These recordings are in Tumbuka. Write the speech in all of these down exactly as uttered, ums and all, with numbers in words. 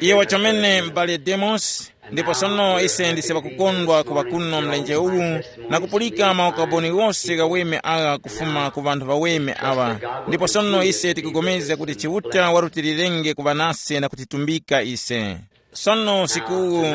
Iyo wachomene m'bale Demos. Ndipo sono ise ndise ŵakukondwa kuŵa kuno mlenje uwu, na kupulika maukaboni ghose ghaweme agha kufuma ku ŵanthu ŵaweme aŵa. Ndipo sono ise tikupulikana kuti Chiuta warutilirenge kuŵa nase na kutitumbika ise. Sono usiku uwu,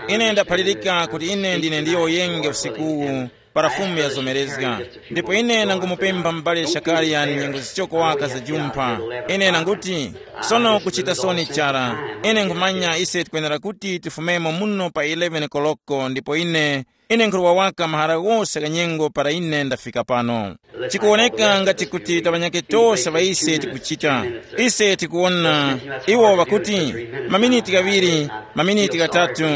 ine ndaphalirika kuti ine ndine ndiyowoyenge usiku uwu, para Fumu yazomerezga. Ndipo ine nangumupempha m'bale Shakariya nyengo zichoko waka za jumpha. Ine nanguti, sono kuchita soni chara. Ine nkhumanya ise tikwenera kuti tifumemo muno pa eleven koloko, ndipo ine, ine nkhuruwa waka mahara ghose gha nyengo para ine ndafika pano. Chikuwoneka ngati kuti taŵanyake tose ŵa ise tikuchita. Ise tikuwona iwo ŵakuti, maminiti ghaŵiri, maminiti ghatatu,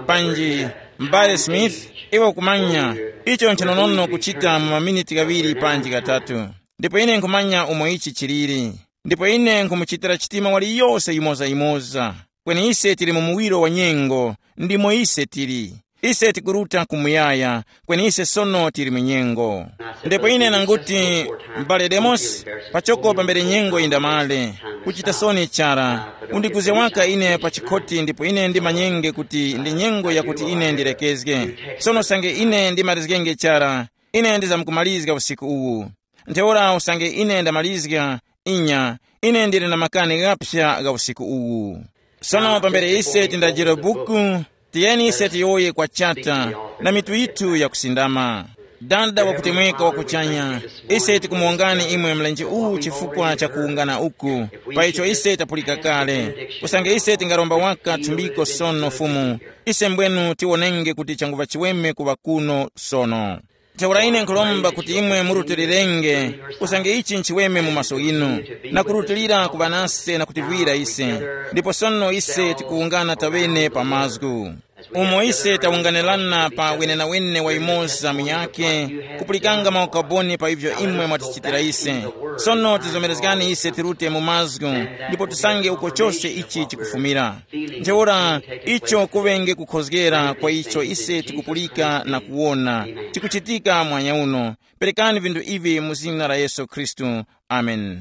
panji, m'bale Smith, iwe ukumanya, icho nchinonono kuchita mu maminiti ghaŵiri panji ghatatu. Ndipo ine nkhumanya umo ichi chiliri. Ndipo ine nkhumuchitira chitima waliyose yimoza-yimoza. Kweni ise tili mu muwiro wa nyengo, ndimo ise tili. Ise tikuruta ku muyaya, kweni ise sono tili mu nyengo. Ndipo ine nanguti, m'bale Demosi, pachoko pambere nyengo yindamale, kuchita soni chara, undiguzge waka ine pa chikhoti ndipo ine ndimanyenge kuti ndi nyengo yakuti ine ndilekezge. Sono usange ine ndimarizgenge chara, ine ndizamkumalizga usiku uwu. Ntheura usange ine ndamalizga, inya, ine ndili na makani ghaphya gha usiku uwu. Sono pambere ise tindajire buku, tiyeni ise tiyowoye kwa chata na mitu yithu yakusindama. Dada wakutemweka wa kuchanya, ise tikumuwongani imwe mlenje uwu chifukwa cha kuwungana uku, pa icho ise tapulika kale. Usange ise tingaromba waka thumbiko sono Fumu, ise mbwenu tiwonenge kuti changuŵa chiweme kuŵa kuno sono. Ntheura ine nkhuromba kuti imwe murutilirenge, usange ichi nchiweme mu maso ghinu, na kurutilira kuŵa nase na kutivwira ise. Ndipo sono ise tikuwungana taŵene pa mazgu, umo ise tawunganirana pa wenenawene wa yumoza munyakhe, kupulikanga maukaboni pa ivyo imwe mwatichitira ise. Sono tizomerezgani ise tirute mu mazgu, ndipo tisange uko chose ichi chikufumira. Ntheura, icho kuŵenge kukhozgera kwa icho ise tikupulika na kuwona chikuchitika mwanya uno. Perekani vinthu ivi mu zina la Yesu Khristu. Amen.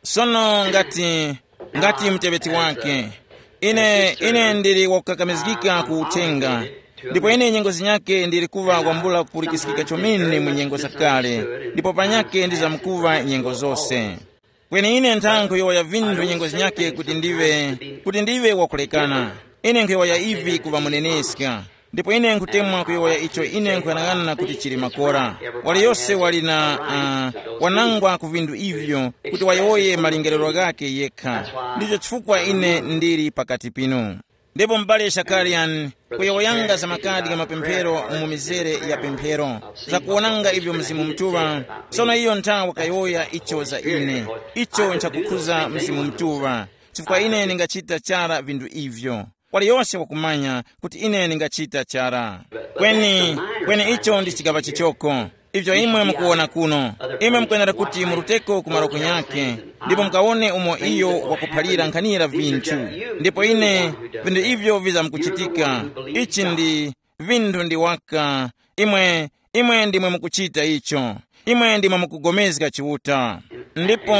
Sono ngati, ngati muteŵeti wake, ine, ine ndili wakukakamizgika ku uthenga, ndipo ine nyengo zinyake ndili kuŵa kwambula kupulikiskika chomene mu nyengo zakale, ndipo panyake ndizamkuŵa nyengo zose. Kweni ine ntha nkhuyowoya vinthu nyengo zinyakhe kuti ndiŵe, kuti ndiŵe wakulekana. Ine nkhuyowoya ivi kuŵa muneneska. Ndipo ine nkhutemwa kuyowoya icho ine nkhuyang'ana kuti chili makora. Waliyose wali na, uh, wanangwa ku vinthu ivyo kuti wayowoye malingerero ghakhe yekha. Ndicho chifukwa ine ndili pakati pinu. Ndipo m'bale Shakarian, kuyowoyanga za makadi gha mapemphero mu mizere ya pemphero, zakuwonanga ivyo Mzimu Mutuŵa, sono iyo nthawa wakayowoya icho za ine, icho nchakukhuza Mzimu Mutuŵa, chifukwa ine ndingachita chara vinthu ivyo. Waliyose wakumanya kuti ine ndingachita chara. Kweni, kweni icho ndi chigaŵa chichoko. Ivyo imwe mukuwona kuno, imwe mukwenera kuti muruteko ku malo kunyakhe, ndipo mukawone umo iyo wakuphalira nkhanira vinthu. Ndipo ine, vinthu ivyo vizamkuchitika. Ichi ndi, vinthu ndi waka. Imwe, imwe ndimwe mukuchita icho. Imwe ndimwe mukugomezga Chiuta. Ndipo,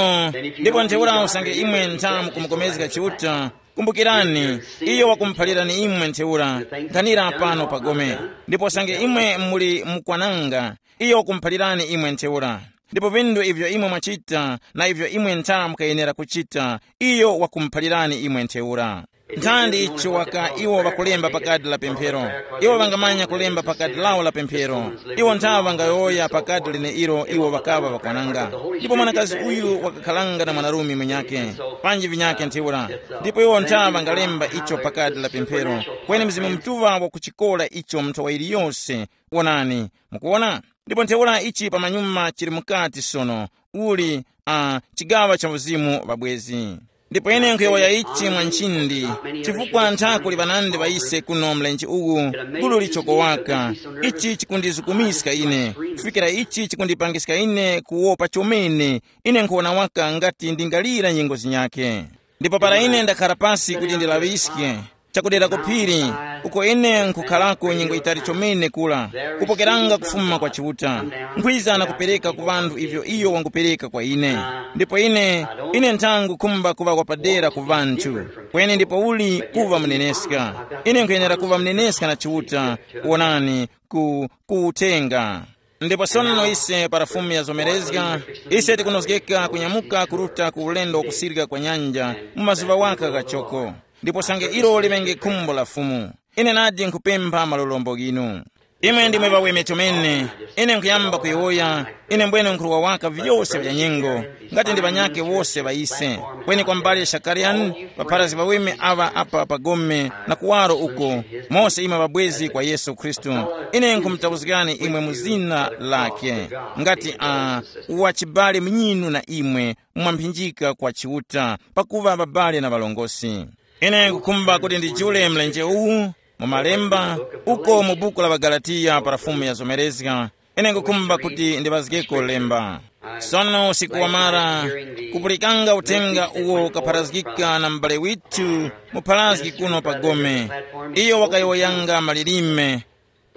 ndipo ntheura usange imwe ntha mukumugomezga Chiuta, kumbukirani, iyo wakumuphalirani imwe ntheura, nkhanira pano pagome. Ndipo usange imwe muli mukwananga, iyo wakumuphalirani imwe ntheura. Ndipo vinthu ivyo imwe mwachita na ivyo imwe ntha mukayenera kuchita, iyo wakumuphalirani imwe ntheura. Nthandi icho waka iwo ŵakulemba pa kadi la pemphero. Iwo ŵangamanya kulemba pa kadi lawo la pemphero. Iwo ntha ŵangayowoya pa kadi leneilo iwo ŵakaŵa ŵakwananga. Ndipo mwanakazi uyu wakakharanga na mwanarume munyakhe, panji vinyakhe ntheura. Ndipo iwo ntha ŵangalemba icho pa kadi la pemphero. Kweni Mzimu Mutuŵa wakuchikora icho mu nthowa yiliyose. Wonani, mukuwona? Ndipo ntheura ichi pamanyuma chili mukati sono, uli, uh, chigaŵa cha uzimu ŵabwezi. Ndipo ine nkhuyowoya ichi mwa nchindi, chifukwa ntha kuli ŵanandi ŵa ise kuno mlenje uwu, gulu lichoko waka. Ichi chikundizukumiska ine, kufikira ichi chikundipangiska ine kuwopa chomene. Ine nkhuwona waka ngati ndingalira nyengo zinyakhe. Ndipo para ine ndakhara pasi kuti ndilaŵiske, chakudera ku phiri, uko ine nkhukharako nyengo yitali chomene kula, kupokeranga kufuma kwa Chiuta, nkhwiza na kupereka ku ŵanthu ivyo iyo wangupereka kwa ine. Ndipo ine, ine nthangu khumba kuŵa wapadera ku ŵanthu, kweni ndipouli kuŵa muneneska. Ine nkhuyenera kuŵa muneneska na Chiuta, wonani, ku, ku uthenga. Ndipo sono ise para Fumu yazomerezga, ise tikunozgeka kunyamuka kuruta ku ulendo wakusirika kwa nyanja mu mazuŵa waka ghachoko. Ndipo sange ilo liŵenge khumbo la Fumu, ine nadi nkhupempha malolombo ghinu. Imwe ndimwe ŵaweme chomene. Ine nkhuyamba kuyowoya, ine mbwene nkhurwa waka vyose vya nyengo, ngati ndi ŵanyakhe wose ŵa ise. Kweni kwa mbale Shakariani, ŵapharazgi ŵaweme aŵa apa pa gome na kuwaro uko, mose imwe ŵabwezi kwa Yesu Khristu, ine nkhumutauzgani imwe mu zina lakhe, ngati a wachibale munyinu na imwe, mwamphinjika kwa Chiuta, pakuŵa ŵabale na ŵalongosi. Ine nkukhumba kuti ndijule mlenje uwu mu malemba, uko mu buku la ŵaGalatiya para Fumu yazomerezga. Ine nkukhumba kuti ndiŵazgeko lemba. Sono usiku wamara, kupulikanga uthenga uwo ukapharazgika na m'bale withu mupharazgi kuno pa gome. Iyo wakayowoyanga malilime.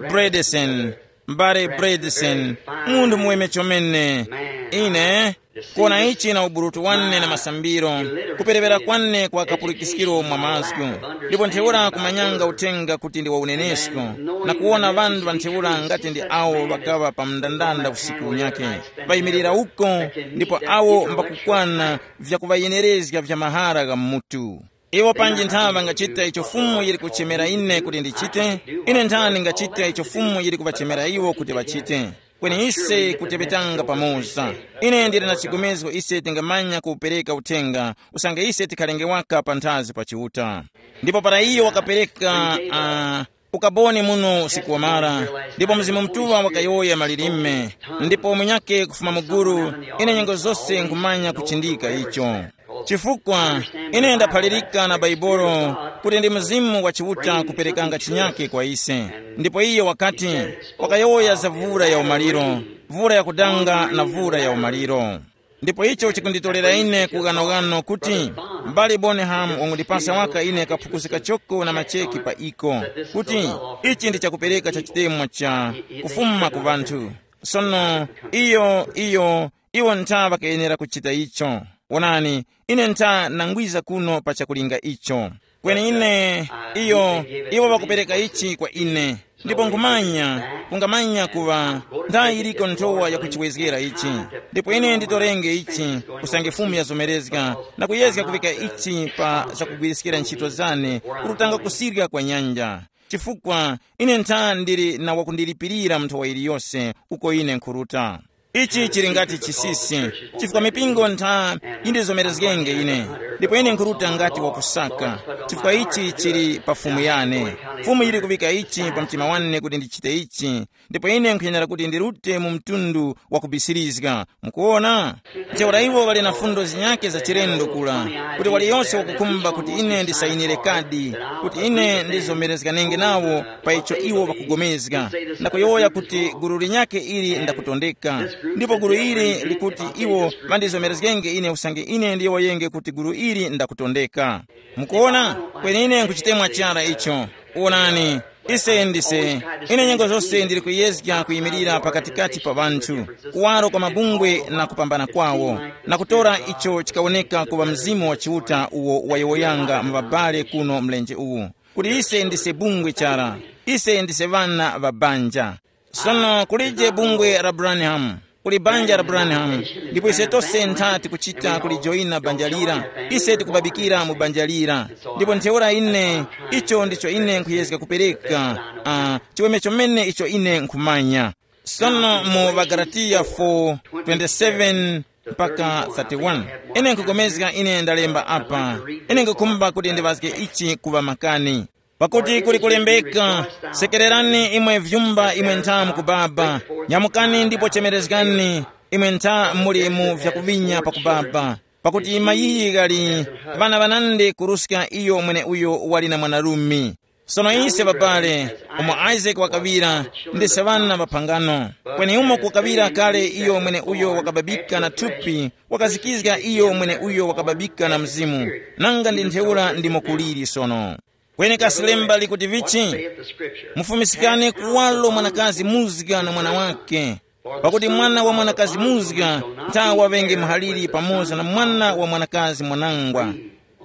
Bredesen, m'bale Bredesen, munthu muweme chomene. Ine, kuwona ichi na uburutu wane na masambiro, kuperewera kwane kwa kapulikiskiro mwa mazgu. Ndipo ntheura kumanyanga uthenga kuti ndi wa unenesko, na kuwona ŵanthu ŵa ntheura ngati ndi awo ŵakaŵa pa mndandanda usiku unyakhe, ŵayimirira uko, ndipo awo mbakukwana vyakuŵayenerezga vya mahara gha mutu. Iwo panji ntha ŵangachita icho Fumu yili kuchemera ine kuti ndichite, ine nthani ngachita icho Fumu yili kuŵachemera iwo kuti ŵachite. Kweni ise kuteŵetanga pamoza. Ine ndili na chigomezgo ise tingamanya kuwupereka uthenga, usange ise tikhalenge waka panthazi pa Chiuta. Ndipo para iyo wakapereka, uh, ukaboni muno usiku wamara, ndipo Mzimu Mutuŵa wakayowoya malilime, ndipo munyakhe kufuma mu gulu, ine nyengo zose nkhumanya kuchindika icho. Chifukwa ine ndaphalirika na Bhaibuli kuti ndi Mzimu wa Chiuta kuperekanga chinyakhe kwa ise. Ndipo iyo wakati, wakayowoya za vura ya umaliro, vura ya kudanga na vura ya umaliro. Ndipo icho chikunditorera ine kughanoghano kuti m'bale Bonham wangundipasa waka ine kaphukusi kachoko na macheki pa iko, kuti ichi ndi chakupereka cha chitemwa cha kufuma ku ŵanthu. Sono iyo, iyo, iwo ntha ŵakayenera kuchita icho. Wonani, ine ntha nangwiza kuno pa chakulinga icho. Kweni ine, iyo, iwo ŵakupereka ichi kwa ine. Ndipo nkhumanya, kungamanya kuŵa nthayi yiliko nthowa yakuchiwezgera ichi. Ndipo ine nditorenge ichi, usange Fumu yazomerezga, na kuyezga kuvika ichi pa zakugwiriskira ntchito zane, kututanga kusirya kwa nyanja. Chifukwa ine ntha ndili na wakundilipirira mu nthowa yiliyose uko ine nkhuruta. Ichi chili ngati chisisi, chifukwa mipingo ntha yindizomerezgenge ine, ndipo ine nkhuruta ngati wakusaka, chifukwa ichi chili pa Fumu yane. Fumu yili kuŵika ichi pa mtima wane kuti ndichite ichi, ndipo ine nkhuyenera kuti ndirute mu mtundu wa kubisirizga. Mukuwona? Ntheura iwo ŵali na fundo zinyakhe za chilendo kula, kuti waliyose wakukhumba kuti ine ndisayinire kadi, kuti ine ndizomerezganenge nawo pa icho iwo ŵakugomezga, na kuyowoya kuti gulu linyakhe ili ndakutondeka. Ndipo gulu ili likuti iwo ŵandizomerezgenge ine usange ine ndiyowoyenge kuti gulu ili ndakutondeka. Mukuwona? Kweni ine nkuchitemwa chara icho. Wonani, ise ndise, ine nyengo zose ndili kuyezga kuyimirira pakatikati pa ŵanthu, kuwaro kwa mabungwe na kupambana kwawo, na kutora icho chikawoneka kuŵa Mzimu wa Chiuta uwo wayowoyanga mu ŵabale kuno mlenje uwu, kuti ise ndise bungwe chara, ise ndise ŵana ŵa banja. Sono kulije bungwe la Branham, kuli banja la Branham, ndipo ise tose ntha tikuchita kulijoyina banja lira, ise tikubabikira mu banja lira. Ndipo ntheura ine, icho ndicho ine nkhuyezga kupereka, uh, chiweme chomene icho ine nkhumanya. Sono mu Ŵagalatiya four twenty-seven mpaka thirty-one, ine nkugomezga ine ndalemba apa, ine nkukhumba kuti ndiŵazge ichi kuŵa makani. Pakuti kuli kulembeka, sekererani imwe vyumba imwe ntha mukubaba, nyamukani ndipo chemerezgani imwe ntha muli mu vyakuvinya pakubaba. Pakuti mayiyi ghali ŵana ŵanandi kuruska iyo mweneuyo wali na mwanarume. Sono ise ŵabale, umo Isake wakaŵira, ndise ŵana ŵa phangano. Kweni umo kukaŵira kale iyo mweneuyo wakababika na thupi, wakazikizga iyo mweneuyo wakababika na mzimu. Nanga ndi ntheura ndimo kuliri sono. Kweni kasi lemba likuti vichi? Mufumiskane kuwalo mwanakazi muzga na mwana wake, pakuti mwana wa mwanakazi muzga nthawa ŵenge muhaliri pamoza na mwana wa mwanakazi mwanangwa.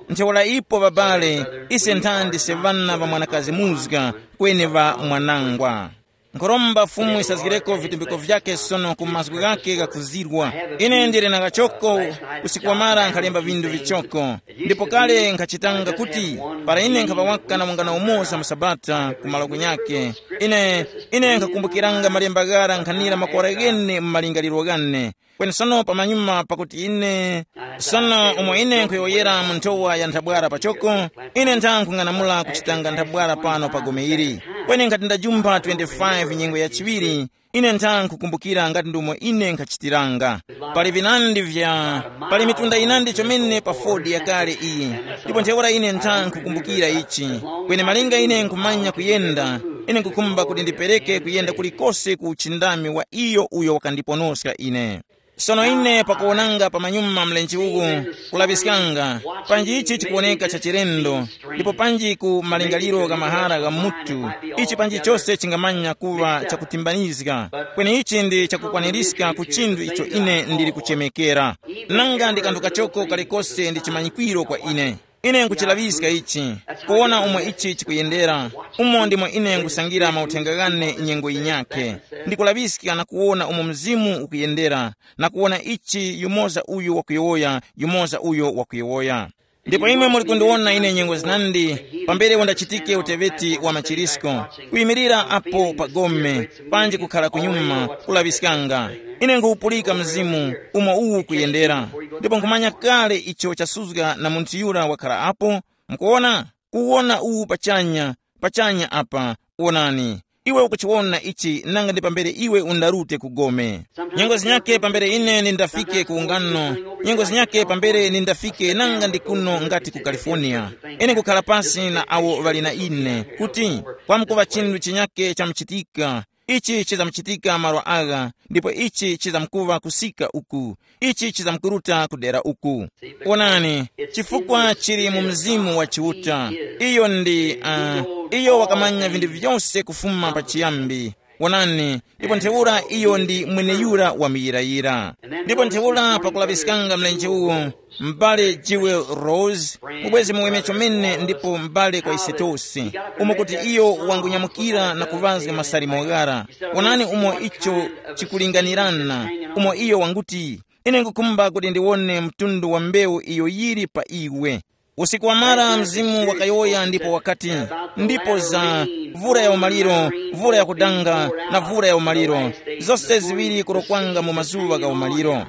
Ntheura ipo ŵabale, ise nthandi se ŵana ŵa mwanakazi muzga, kweni ŵa mwanangwa. Nkhoromba Fumu isazgireko vitumbiko vyake sono ku mazgu ghake ghakuzirwa. Ine ndili na kachoko, usiku wamara nkhalemba vindu vichoko. Ndipo kale nkhachitanga kuti, para ine nkhaŵa waka na wungana umoza mu Sabata ku malo kunyake, ine, ine nkhakumbukiranga malemba ghara nkhanira makora ghene mu malingaliro ghane. Kweni sono pamanyuma pakuti ine, sono umo ine nkhuyowoyera mu nthowa ya nthabwara pachoko, ine nthanga nkhung'anamula kuchitanga nthabwara pano pa gome ili. Kweni nkhati ndajumpha twenty-five nyengo ya chiŵiri, ine nthanga nkhukumbukira ngati ndumo ine nkhachitiranga. Pali vinandi vya, pali mitunda yinandi chomene pa fodi yakale iyi. Ndipo ntheura ine nthanga nkhukumbukira ichi. Kweni malinga ine nkhumanya kuyenda, ine nkhukhumba kuti ndipereke kuyenda kulikose ku uchindami wa iyo uyo wakandiponoska ine. Sono ine pakuwonanga pamanyuma mlenje uwu, kulaŵiskanga, panji ichi chikuwoneka cha chilendo, ndipo panji ku malingaliro gha mahara gha mutu, ichi panji chose chingamanya kuŵa chakutimbanizga, kweni ichi ndi chakukwanirizga ku chinthu icho ine ndili kuchemekera. Nanga ndi kanthu kachoko kalikose ndi chimanyikwiro kwa ine. Ine nkuchilaŵiska ichi, kuwona umo ichi chikuyendera, umo ndimo ine nkusangira mauthenga ghane nyengo yinyakhe. Ndikulaŵiska na kuwona umo Mzimu ukuyendera, na kuwona ichi yumoza uyu wakuyowoya, yumoza uyo wakuyowoya. Ndipo imwe muli kundiwona ine nyengo zinandi, pambere undachitike uteweti wa machirisko, kuyimirira apo pa gome, panji kukhala kunyuma, kulaŵiskanga. Ine nkhupulika Mzimu umo uwu kuyendera, ndipo nkhumanya kale icho chasuzga na munthu yura wakhala apo. Mukuwona, kuwona uwu pachanya, pachanya apa, wonani. Iwe ukuchiwona ichi nanga ndi pambere iwe undarute ku gome. Nyengo zinyakhe pambere ine nindafike ku ungano, nyengo zinyakhe pambere nindafike nanga ndi kuno ngati ku California. Ine nkukhala pasi na awo ŵali na ine kuti, kwamkuŵa chinthu chinyakhe chamuchitika. Ichi chizamuchitika malo agha, ndipo ichi chizamkuŵa kusika uku, ichi chizamkuruta kudera uku. Wonani, chifukwa chili mu Mzimu wa Chiuta. Iyo ndi, uh, iyo wakamanya vinthu vyose kufuma pachiyambi. Wonani, ndipo ntheura iyo ndi mweneyura wa muyirayira. Ndipo ntheura pakulaŵiskanga mlenje uwo, m'bale Jewel Rose, mubwezi muweme chomene ndipo m'bale kwa ise tose, umo kuti iyo wangunyamukira na kuŵazga masalimo ghara. Wonani umo icho chikulinganirana, umo iyo wanguti, ine ngukhumba kuti ndiwone mtundu wa mbewu iyo yili pa iwe. Usiku wamara Mzimu wakayowoya ndipo wakati, ndipo za vura ya umaliro, vura ya kudanga, na vura ya umaliro, zose ziŵiri kurokwanga mu mazuŵa gha umaliro.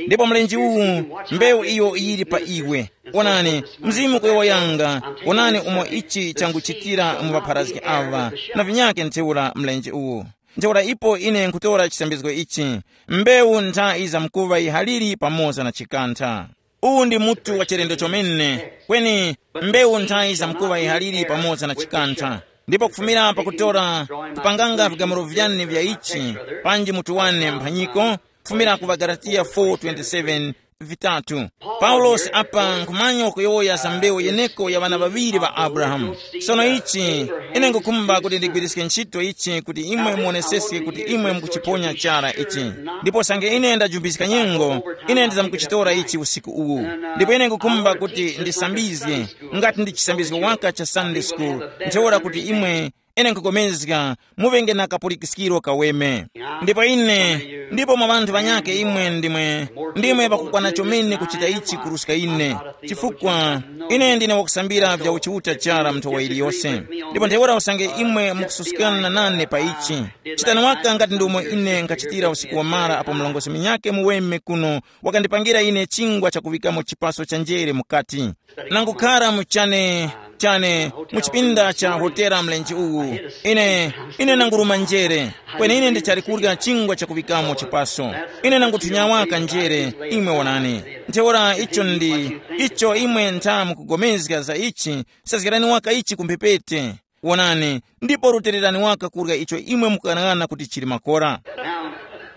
Ndipo mlenje uwu, mbewu iyo yili pa iwe. Onani, Mzimu kuyowoyanga, onani umo ichi changuchitira mu ŵapharazgi awa, na vinyakhe ntheura mlenje uwu. Ntheura ipo ine nkutora chisambizgo ichi, mbewu ntha iza mkuŵa yihaliri pamoza na chikantha. Uwu ndi mutu wa chilendo chomene, kweni mbewu ntha iza mkuŵa yihaliri pamoza na chikantha. Ndipo kufumira pakutora, kupanganga vigamulo vyane vya ichi, panji mutu wane mphanyiko, kufumira ku Bagalatiya four twenty-seven, vitatu. Paulosi apa nkhumanya kuyowoya za mbewu yeneko ya ŵana ŵaŵiri ŵa Abrahamu. Sono ichi, ine ngukhumba kuti ndigwiriske ntchito ichi kuti imwe muoneseske kuti imwe mukuchiponya chara ichi. Ndipo sange ine ndajumbiska nyengo, ine ndizamkuchitora ichi usiku uwu. Ndipo ine ngukhumba kuti ndisambizge, ngati ndi chisambizgo waka cha Sunday school, ntheura kuti imwe ine nkupulikana muŵenge na kapulikiskiro kaweme. Ndipo ine, ndipo mwa ŵanthu ŵanyakhe imwe ndimwe, ndimwe pakukwana chomene kuchita ichi kuruska ine, chifukwa ine ndine wakusambira vya uchiuta chara mu nthowa iliyose. Ndipo ntheura usange imwe mukususkana nane pa ichi, chitani waka ngati ndomwe ine nkhachitira usiku wamara apo mlongosi munyakhe muweme kuno wakandipangira ine chingwa chakuŵikamo chipaso cha njere mukati. Nangukhara mu chane, chane, mu chipinda cha hotela mlenje uwu. Ine, ine nanguruma njere, kweni ine ndichali kurya chingwa chakuŵikamo chipaso. Ine nanguthunya waka njere, imwe wonani. Ntheura icho ndi, icho imwe ntha mukugomezga za ichi, sazgarani waka ichi ku mphepete. Wonani, ndipo rutilirani waka kurya icho imwe mukughanaghananga kuti chili makora.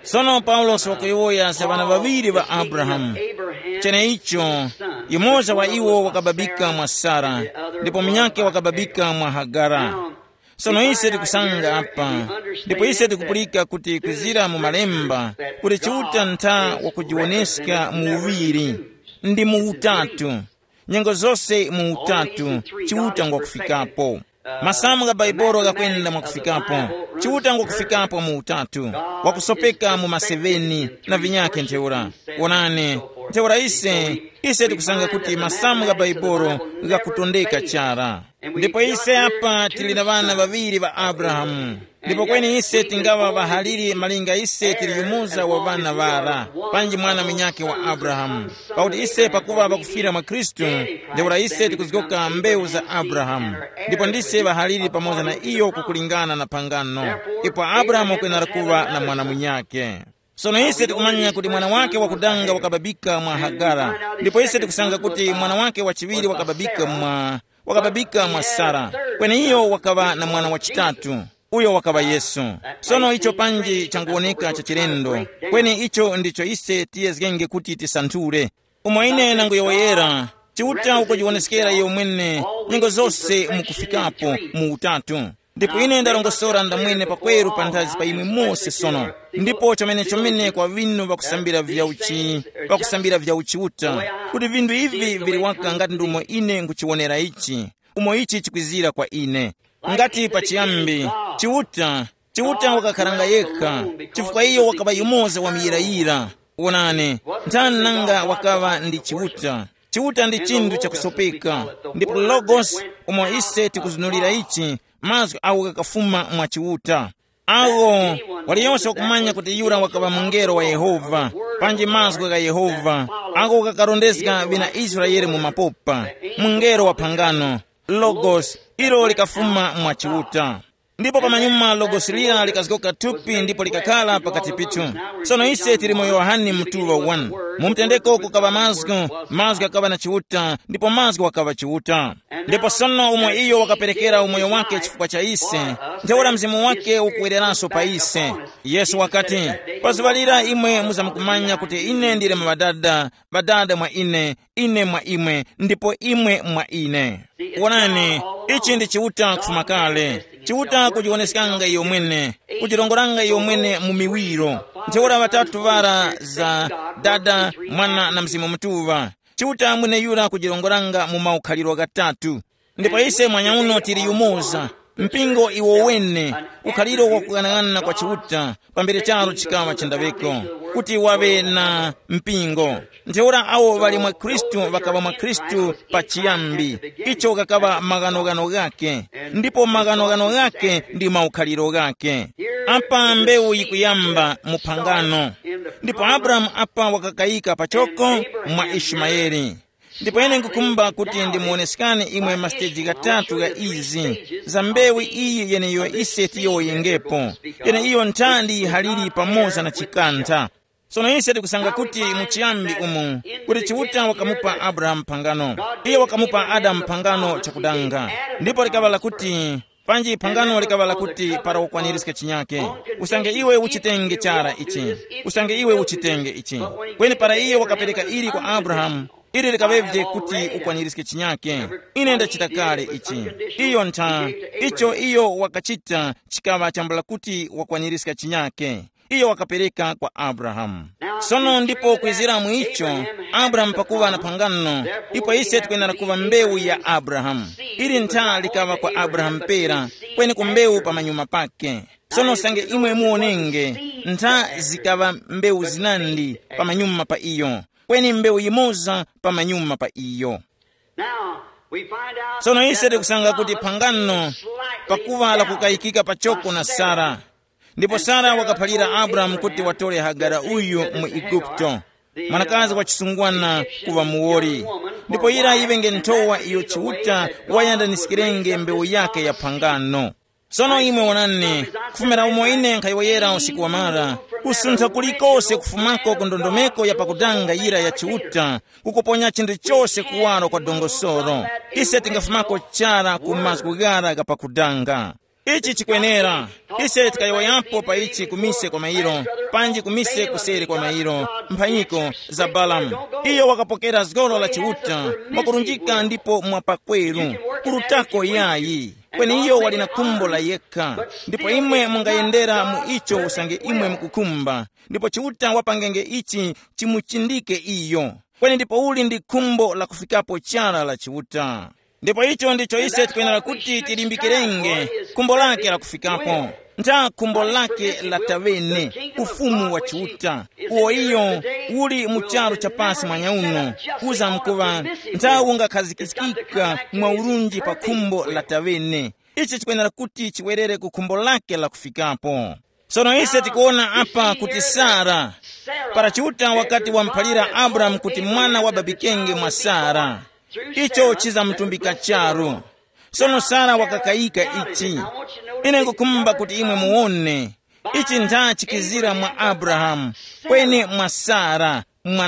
Sono Paulosi wakuyowoya za ŵana ŵaŵiri ŵa Abrahamu. Cheneicho, yumoza wa iwo wakababika mwa Sara, ndipo munyakhe wakababika mwa Hagara. Sono ise tikusanga apa, ndipo ise tikupulika kuti kwizira mu Malemba kuti Chiuta ntha wakujiwoneska mu uŵiri, ndi mu utatu. Nyengo zose mu utatu, Chiuta ngwakufikapo. Masamu gha Baibolo ghakwenda mwakufikapo. Chiuta ngwakufikapo mu utatu, wakusopeka mu maseveni na vinyakhe ntheura. Wonani, ntheura ise, ise tikusanga kuti masamu gha Baibolo ghakutondeka chara. Ndipo ise apa tili na ŵana ŵaŵiri ŵa Abrahamu. Ndipo kweni ise tingaŵa ŵahaliri malinga ise tili yumoza wa ŵana ŵara, panji mwana munyakhe wa Abrahamu. Pakuti ise pakuŵa ŵakufira mwa Khristu, ntheura ise tikuzgoka mbewu za Abrahamu. Ndipo ndise ŵahaliri pamoza na iyo kukulingana na phangano. Ipo Abrahamu wakwenera kuŵa na mwana munyakhe. Sono ise tikumanya kuti mwana wake wakudanga wakababika mwa Hagara, ndipo ise tikusanga kuti mwana wake wachiŵiri wakababika mwa, wakababika mwa Sara, kweneiyo wakaŵa na mwana wachitatu, uyo wakaŵa Yesu. Sono icho panji changuwoneka cha chilendo, kweni icho ndicho ise tiyezgenge kuti tisanthule. Umo ine nanguyowoyera, Chiuta ukujiwoneskera iyo mwene nyengo zose mukufikapo mu utatu. Ndipo ine ndarongosora ndamwene pakweru panthazi pa imwe mose sono. Ndipo chomenechomene kwa vinu vakusambira vya uchi, vakusambira vya uchiuta, kuti vindu ivi vili waka ngati ndumo ine nkuchiwonera ichi, umo ichi chikwizira kwa ine. Ngati pachiyambi, Chiuta, Chiuta wakakharanga yekha, chifukwa iyo wakaŵa yumoza wa muyirayira. Wonani, nthani nanga wakaŵa ndi Chiuta? Chiuta ndi chinthu chakusopeka, ndipo Logos, umo ise tikuzunulira ichi, mazgu agho ghakafuma mwa Chiuta. Agho, waliyose wakumanya kuti yura wakaŵa mungelo wa Yehova, panji mazgu gha Yehova, agho ghakarondezga ŵina Israele mu mapopa, mungelo wa phangano, Logos, ilo likafuma mwa Chiuta. Ndipo pamanyuma Logos lira likazgoka thupi ndipo likakhala pakati pithu. Sono ise tili mu Yohane mutuŵa one. Mu mtendeko kukaŵa mazgu, mazgu ghakaŵa na Chiuta, ndipo mazgu wakaŵa Chiuta. Ndipo sono umo iyo wakaperekera umoyo wake chifukwa cha ise, ntheura mzimu wake ukuwereranso pa ise. Yesu wakati, pa zuŵa lira imwe muzamkumanya kuti ine ndili mwa Ŵadada, Ŵadada mwa ine, ine mwa imwe, ndipo imwe mwa ine. Wonani, ichi ndi Chiuta kufuma kale. Chiuta kujiwoneskanga iyo mwene, kujirongoranga iyo mwene mu miwiro. Ntheura ŵatatu ŵara za Dada, Mwana na Mzimu Mutuŵa. Chiuta mweneyura kujirongoranga mu maukhaliro ghatatu. Ndipo ise mwanyauno tili yumoza, mpingo iwo wene, ukhaliro wakughanaghanana kwa Chiuta, pambere charo chikaŵa chindaŵeko, kuti waŵe na mpingo. Ntheura awo ŵali mwa Khristu ŵakaŵa mwa Khristu pachiyambi, icho ghakaŵa maghanoghano ghakhe, ndipo maghanoghano ghakhe ndi maukhaliro ghakhe. Apa mbewu yikuyamba mu phangano, ndipo Abrahamu apa wakakayika pachoko mwa Ishimayeli. Ndipo ine nkukhumba kuti ndimuwoneskani imwe masiteji ghatatu gha izi, za mbewu iyi yeneyo ise tiyowoyengepo, yeneiyo nthandi yihaliri pamoza na chikantha. Sono ise tikusanga kuti mu chiyambi umu, kuti Chiuta wakamupa Abrahamu phangano, iye wakamupa Adamu phangano chakudanga, ndipo likaŵa lakuti, panji phangano likaŵa lakuti para ukwanirizge chinyake, usange iwe uchitenge chara ichi, usange iwe uchitenge ichi. Kweni para iye wakapereka ili kwa Abrahamu, ili likaŵevye kuti ukwanirizge chinyake. Ine ndachita kale ichi. Iyo ntha, icho iyo wakachita chikaŵa chambula kuti wakwanirizga chinyake. Iyo wakapereka kwa Abrahamu. Sono ndipo kwizira mu icho, Abrahamu pakuŵa na phangano, ipo ise tikwenera kuŵa mbewu ya Abrahamu. Ili ntha likaŵa kwa Abrahamu pera, kweni ku mbewu pamanyuma pake. Sono usange imwe muwonenge, ntha zikaŵa mbewu zinandi pamanyuma pa iyo, kweni mbewu yimoza pamanyuma pa iyo. Now, we find out Sono ise that the tikusanga kuti promise phangano is slightly pakuva doubted lakukayikika pachoko by na Sarah. Sara. Ndipo Sara wakaphalira Abrahamu kuti watore Hagara uyu mu Igupto, mwanakazi wa chisungwana, kuva muwoli, ndipo ira yiŵenge nthowa iyo Chiuta wayandaniskirenge mbewu yake ya phangano. Sono imwe wonani, kufumira umo ine nkhayowoyera usiku wamara, kusuntha kulikose kufumako ku ndondomeko ya pakutanga yira ya Chiuta, kukuponya chinthu chose kuwaro kwa dongosoro. Ise tingafumako chara ku mazgu ghara gha pakutanga. Ichi chikwenera. Ise tikayowoyapo pa ichi kumise kwa mairo, panji kumise kuseri kwa mairo, mphanyiko za Balamu. Iyo wakapokera zgoro la Chiuta mwakurunjika ndipo mwapakweru, kurutako yayi. Kweni iyo wali na khumbo la yekha, ndipo imwe mungayendera mu icho usange imwe mukukhumba, ndipo Chiuta wapangenge ichi chimuchindike iyo. Kweni ndipo uli ndi khumbo la kufikapo chara la Chiuta. Ndipo icho ndicho ise tikwenera kuti tilimbikirenge, khumbo lake la kufikapo. Ntha khumbo lake la tawene, ufumu wa Chiuta, uwo iyo uli mu charu cha pasi mwanya uno, kuza mkuva nthawi ungakhazikikika mwa urunji pa khumbo la tawene. Ichi chikwenera kuti chiwerere ku khumbo lake la kufikapo. Sono ise tikuwona apa kuti Sara, para Chiuta wakati wamuphalira Abrahamu kuti mwana wababikenge mwa Sara, icho chizamutumbika charu. Sono Sara wakakayika ichi. Ine nkukhumba kuti imwe muwone ichi ntha chikizira mwa Abrahamu, kweni mwa Sara,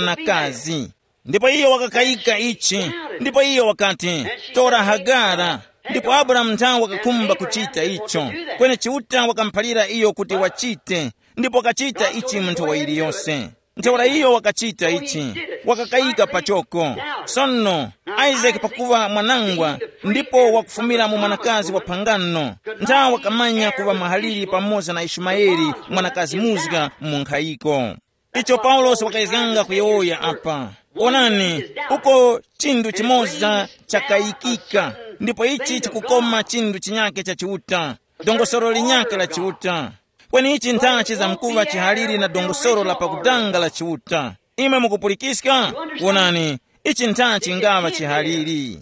mwanakazi. Ndipo iyo wakakayika ichi, ndipo iyo wakati, tora Hagara. Ndipo Abrahamu nthawe wakakhumba kuchita icho, kweni Chiuta wakamuphalira iyo kuti wachite, ndipo wakachita ichi mu nthawi yiliyose. Ntheura iyo wakachita ichi, wakakayika pachoko. Sono, Isake pakuva mwanangwa, ndipo wakufumira mu mwanakazi wa phangano, nthawe wakamanya kuŵa mahaliri pamoza na Ishumayeli, mwanakazi muzga mu nkhayiko. Icho Paulosi wakayezganga kuyowoya apa. Onani, uko chinthu chimoza chakayikika, ndipo ichi chikukoma chinthu chinyake cha Chiuta, dongosolo linyake la Chiuta. Kweni ichi ntha chizamkuŵa chihaliri na dongosolo la pakudanga la Chiuta. Imwe mukupulikiska? Wonani, ichi ntha chingaŵa chihaliri.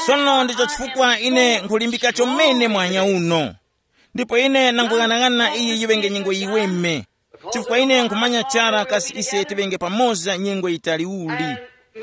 Sono ndicho chifukwa ine nkulimbika chomene mwanya uno. Ndipo ine nanguyang'anang'ana iyi yiŵenge nyengo yiweme, chifukwa ine nkhumanya chara kasi ise tiŵenge pamoza nyengo yitali uli.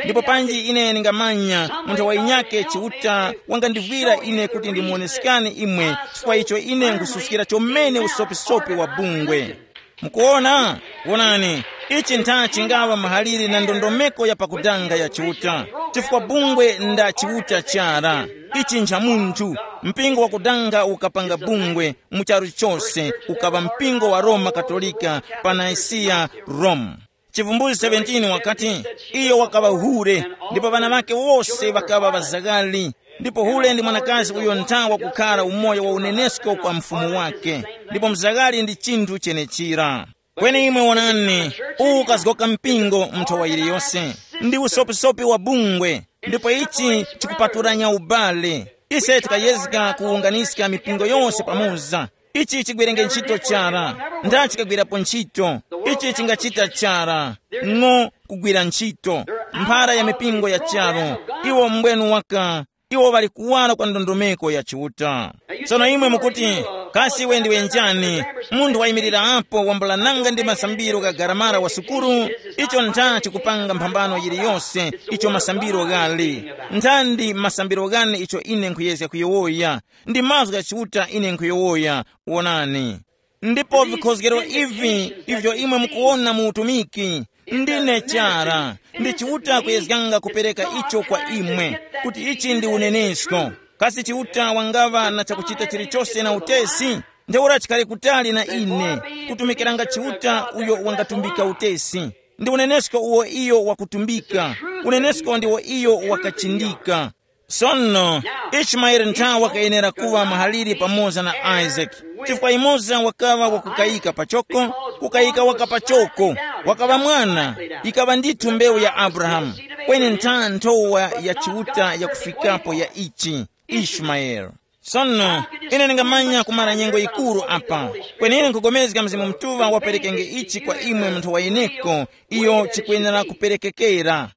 Ndipo panji ine ndingamanya munthu wa inyake Chiuta wangandivwira ine kuti ndimuwoneskani imwe, chifukwa icho ine nkhususkira chomene usopisopi wa bungwe. Mukuwona? Wonani, ichi ntha chingaŵa mahalire na ndondomeko ya pakudanga ya Chiuta, chifukwa bungwe nda Chiuta chara. Ichi ncha munthu, mpingo wakudanga ukapanga bungwe mu charu chose, ukaŵa mpingo wa Roma Katolika pa Nicaea, Rome. Chivumbulutso seventeen wakati, iyo wakaŵa hure, ndipo ŵana ŵake wose ŵakaŵa ŵazaghali. Ndipo hure ndi mwanakazi uyo ntha wakukhala umoyo wa unenesko kwa mfumu wake, ndipo mzaghali ndi chinthu chenechira. Kweni imwe wonani, uwu ukazgoka mpingo mu nthowa yiliyose, ndi usopisopi wa bungwe, ndipo ichi chikupaturanya ubale. Ise tikayezga kuwunganiska mipingo yose pamoza. Ichi chigwerenge ntchito chara, nda chikagwirapo ntchito. Ichi chingachita chara, ng'o kugwira ntchito. Mphara ya mipingo ya charu, iwo mbwenu waka, iwo ŵali kuwara kwa ndondomeko ya Chiuta. Tsono imwe mukuti, kasi iwe ndiwe njani? Munthu wayimirira apo wambula nanga ndi masambiro gha garamara wa sukuru? Icho ntha chikupanga mphambano yiliyose, icho masambiro ghali. Nthandi masambiro ghane icho ine nkhuyezga kuyowoya, ndi mazgu gha Chiuta ine nkhuyuwoya, wonani. Ndipo vikhozgero ivi ivyo imwe mukuwona mu utumiki, ndine chara, ndi Chiuta kuyezganga kupereka icho kwa imwe, kuti ichi ndi unenesko. Kasi Chiuta wangaŵa na chakuchita chilichose na utesi? Ntheura chikhale kutali na ine, kutumikiranga Chiuta uyo wangatumbika utesi. Ndi unenesko uwo iyo wakutumbika, unenesko ndiwo iyo wakachindika. Sono, Ishimaele ntha wakayenera kuŵa mahaliri pamoza na Isake, chifukwa yumoza wakaŵa wakukayika pachoko, kukayika waka pachoko, wakaŵa mwana, yikaŵa ndithu mbewu ya Abrahamu, kweni ntha nthowa ya Chiuta yakufikapo ya ichi, Ishimaele. Sono, ine ndingamanya kumara nyengo yikuru apa, kweni ine nkhupulikana Mzimu Mutuŵa waperekenge ichi kwa imwe munthu wa yeneko, iyo chikwenera kuperekekera.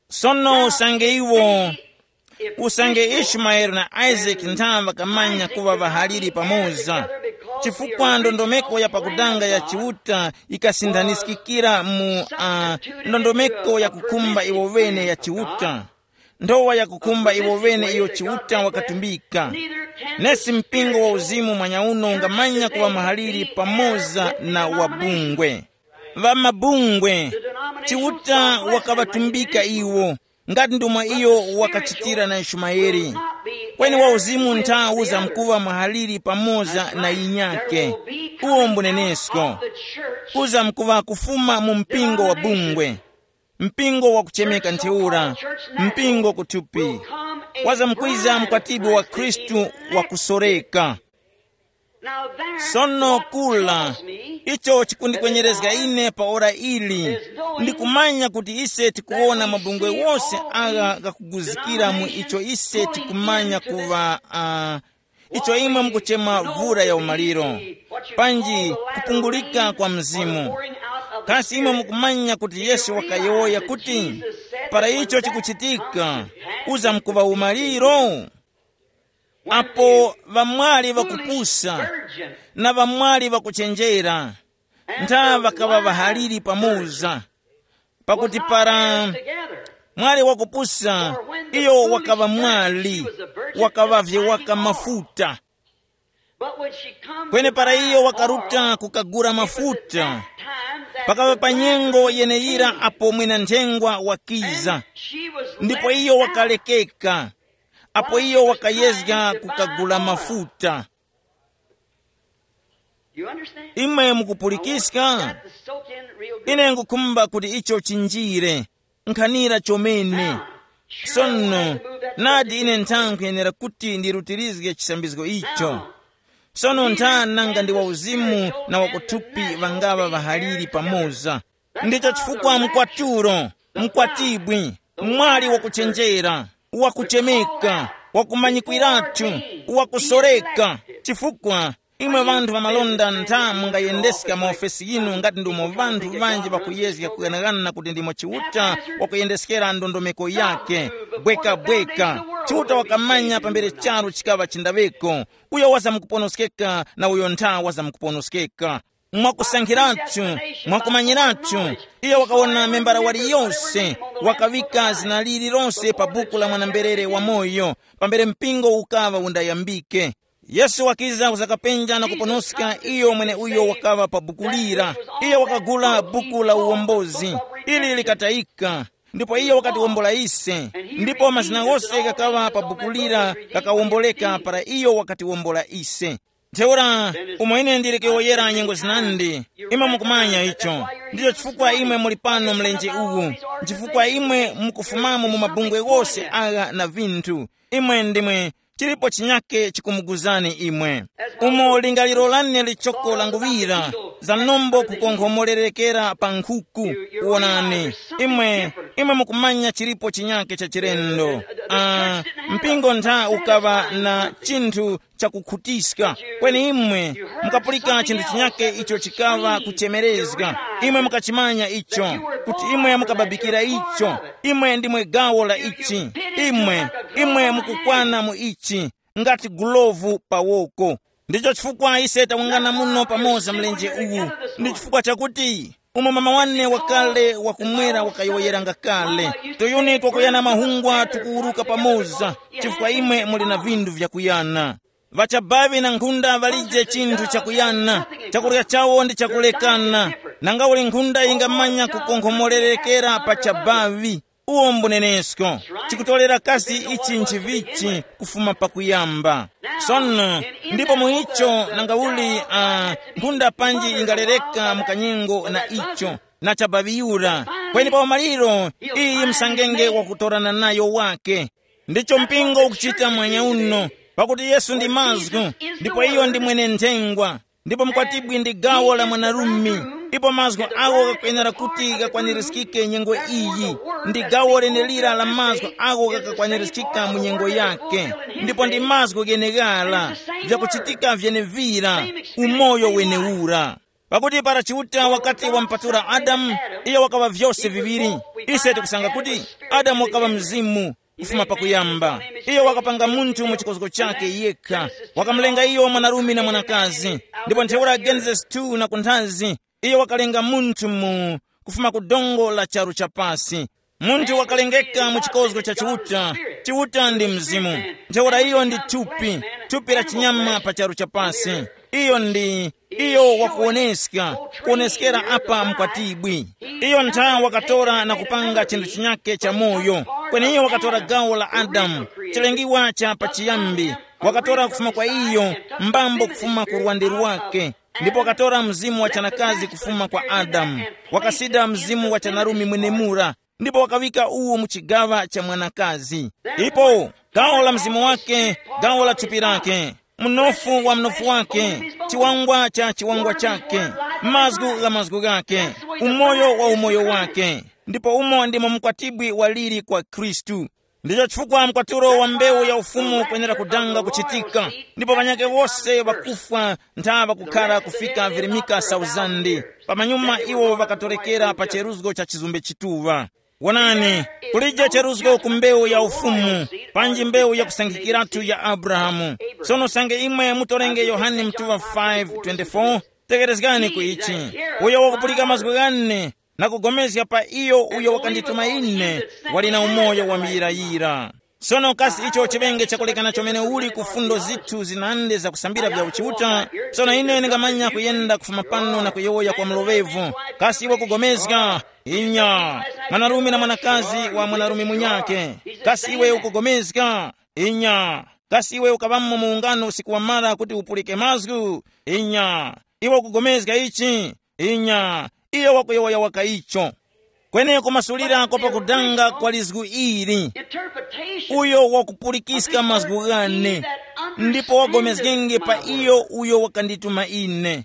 Sono usange iwo, usange Ishimaele na Isake ntha ŵakamanya kuŵa ŵahaliri pamoza, chifukwa ndondomeko ya pakudanga ya Chiuta yikasindaniskikira mu uh, ndondomeko ya kukhumba iwo ŵene ya Chiuta, nthowa ya kukhumba iwo ŵene iyo Chiuta wakatumbika. Nesi mpingo wa uzimu mwanyauno ungamanya kuŵa mahaliri pamoza na wabungwe. Ŵamabungwe, Chiuta wakaŵatumbika iwo, ngati ndomwe iyo wakachitira na Ishimaele. Kweni wauzimu ntha uzamkuŵa mwahaliri pamoza na yinyake. Uwo mbunenesko. Uzamkuŵa kufuma mu mpingo wa bungwe, mpingo wakuchemeka ntheura, mpingo kuthupi. Wazamkwiza mkwatibwi wa Khristu wakusoreka. Sono kula, icho chikundikwenyerezga ine pa ora ili, ndikumanya kuti ise tikuwona mabungwe wose agha ghakuguzikira mu icho ise tikumanya kuŵa uh, icho imwe mukuchema vura ya umaliro, panji kupungulika kwa mzimu. Kasi imwe mukumanya kuti Yesu wakayowoya kuti para icho chikuchitika, uzamkuŵa umaliro? Apo ŵamwali ŵakupusa na ŵamwali ŵakuchenjera, ntha ŵakaŵa ŵahaliri pamoza. Pakuti para mwali wakupusa, iyo wakaŵa mwali, wakaŵavye waka mafuta. Kweni para iyo wakaruta kukagula mafuta, pakaŵa pa nyengo yeneyira apo mwina nthengwa wakiza, ndipo iyo wakalekeka, apo iyo wakayezga kukagula mafuta. Imwe mukupulikiska? Ine ngukhumba kuti icho chinjire nkhanira chomene. Sono, nadi ine nthawi nkhuyenera kuti ndirutirizge chisambizgo icho. Sono ntha nanga ndi wauzimu na wakuthupi ŵangaŵa ŵahaliri pamoza? Ndicho chifukwa mkwaturo, mkwatibwi, mwali wakuchenjera, wakuchemeka, wakumanyikwiratu, wakusoreka, chifukwa imwe ŵanthu ŵamalonda ntha mungayendeska maofesi yinu ngati ndimo ŵanthu ŵanji ŵakuyezga kughanagana kuti ndimo Chiuta wakuyendeskera ndondomeko yake. Bwekabweka, Chiuta wakamanya pambere charu chikaŵa chindaŵeko, uyo wazamkuponoskeka na uyo ntha wazamkuponoskeka. Mwakusankhiratu, mwakumanyiratu, iyo wakawona membara waliyose, wakaŵika zina lililose pa buku la mwana-mberere wamoyo, pambere mpingo ukaŵa undayambike. Yesu wakiza kuzakapenja na kuponoska iyo mweneuyo wakaŵa pa buku lira. Iyo wakagula buku la uwombozi, ili likatayika, ndipo iyo wakatiwombola ise, ndipo mazina ghose ghakaŵa pa buku lira ghakawomboleka para iyo wakatiwombola ise. Ntheura, umo ine ndili kuyowoyera nyengo zinandi, imwe mukumanya icho. Ndicho chifukwa imwe muli pano mlenje uwu, nchifukwa imwe mukufumamo mu mabungwe ghose agha na vinthu. Imwe ndimwe, chilipo chinyake chikumuguzani imwe. Umo lingaliro lane lichoko languŵira, za nombo kukonkhomolerekera pa nkhuku. Wonani, imwe, imwe mukumanya chilipo chinyake cha chilendo. Ah, mpingo ntha ukaŵa na chinthu chakukhutiska. Kweni imwe mukapulika chinthu chinyake icho chikaŵa kuchemerezga. Imwe mukachimanya icho, kuti imwe mukababikira icho. Imwe ndimwe gawo la ichi. Imwe, imwe mukukwana mu ichi, ngati gulovu pa woko. Ndicho chifukwa ise tawungana muno pamoza mlenje uwu. Ndi chifukwa chakuti umo mama wane wakale wakumwera wakayowoyeranga kale, tuyuni twakuyana mahungwa tukuwuruka pamoza, chifukwa imwe muli na vinthu vyakuyana. Ŵachabavi na nkhunda ŵalije chinthu chakuyana, chakurya chawo ndi chakulekana. Nanga uli nkhunda yingamanya kukonkhomolerekera pa chabavi? Uwo mbunenesko. Chikutolera kasi ichi nchivichi kufuma pakuyamba. Sono, ndipo mu icho nanga uli uh, nkhunda panji ingalereka mu kanyengo na icho, na chabavi yura. Kweni pa umaliro, iyi msangenge wakutorana nayo wake. Ndicho mpingo ukuchita mwanya uno, pakuti Yesu ndi mazgu, ndipo iyo ndi mwene nthengwa, ndipo mkwatibwi ndi gawo la mwanarume. Ipo mazgu awo ghakwenera kuti ghakwanirizgike nyengo iyi, ndi gawo lenelira la mazgu awo ghakakwanirizgika mu nyengo yake. Ndipo ndi mazgu gheneghala, vyakuchitika vyenevira, umoyo wenewura. Pakuti para Chiuta wakati wampatula Adamu, iyo wakaŵa vyose viŵiri. Ise tikusanga kuti Adamu wakaŵa mzimu kufuma pakuyamba. Iyo wakapanga munthu mu chikozgo chake yekha, wakamulenga iyo mwanarume na mwanakazi. Ndipo ntheura Genesis two na kunthazi, iyo wakalenga munthu mu kufuma ku dongo la charu chapasi. Munthu wakalengeka mu chikozgo cha Chiuta. Chiuta ndi mzimu. Ntheura iyo ndi thupi, thupi la chinyama pa charu chapasi. Iyo ndi iyo wakuwoneska, kuwoneskera apa mkwatibwi. Iyo ntha wakatora na kupanga chinthu chinyake cha moyo. Kweni iyo wakatora gawo la Adamu, chilengiwa cha pachiyambi, wakatora kufuma kwa iyo, mbambo kufuma ku lwande lwake, ndipo wakatora mzimu wa chanakazi kufuma kwa Adamu, wakasida mzimu wa chanarumi mwenemura, ndipo wakawika uwu mu chigaŵa cha mwanakazi. Ipo gawo la mzimu wake, gawo la thupi lake, mnofu wa mnofu wake, chiwangwa cha chiwangwa chake, mazgu gha mazgu ghake, umoyo wa umoyo wake. Ndipo umo ndimo mkwatibwi waliri kwa Khristu. Ndicho chifukwa mkwatulo wa mbewu ya ufumu kwenera kudanga kuchitika, ndipo ŵanyakhe wose ŵakufwa ntha ŵakukhara kufika virimika sauzande. Pamanyuma iwo ŵakatorekera pa cheruzgo cha chizumbe chituŵa. Wonani, kulije cheruzgo ku mbewu ya ufumu, panji mbewu yakusankhikiratu ya Abrahamu. Sono sange imwe mutorenge Yohane mtuŵa five twenty-four, tekerezgani ku ichi. Uyo wakupulika mazgu ghane na kugomezga pa iyo uyo wakandituma ine, wali na umoyo wa muyirayira. Sono kasi icho chiŵenge chakulekana chomene uli ku fundo zithu zinande zakusambira vya uchiuta? Sono ine ndingamanya kuyenda kufuma pano na kuyowoya kwa mloŵevu. Kasi iwe ukugomezga? Inya. Mwanarume na mwanakazi wa mwanarume munyake. Kasi iwe ukugomezga? Inya. Kasi iwe ukaŵamo mu ungano usiku wamara kuti upulike mazgu? Inya. Iwe ukugomezga ichi? Inya. Iyo wakuyowoya waka icho. Kweni kumasulira kwa pakudanga kwa lizgu ili, uyo wakupulikiska mazgu ghane, ndipo wagomezgenge pa iyo uyo wakandituma ine.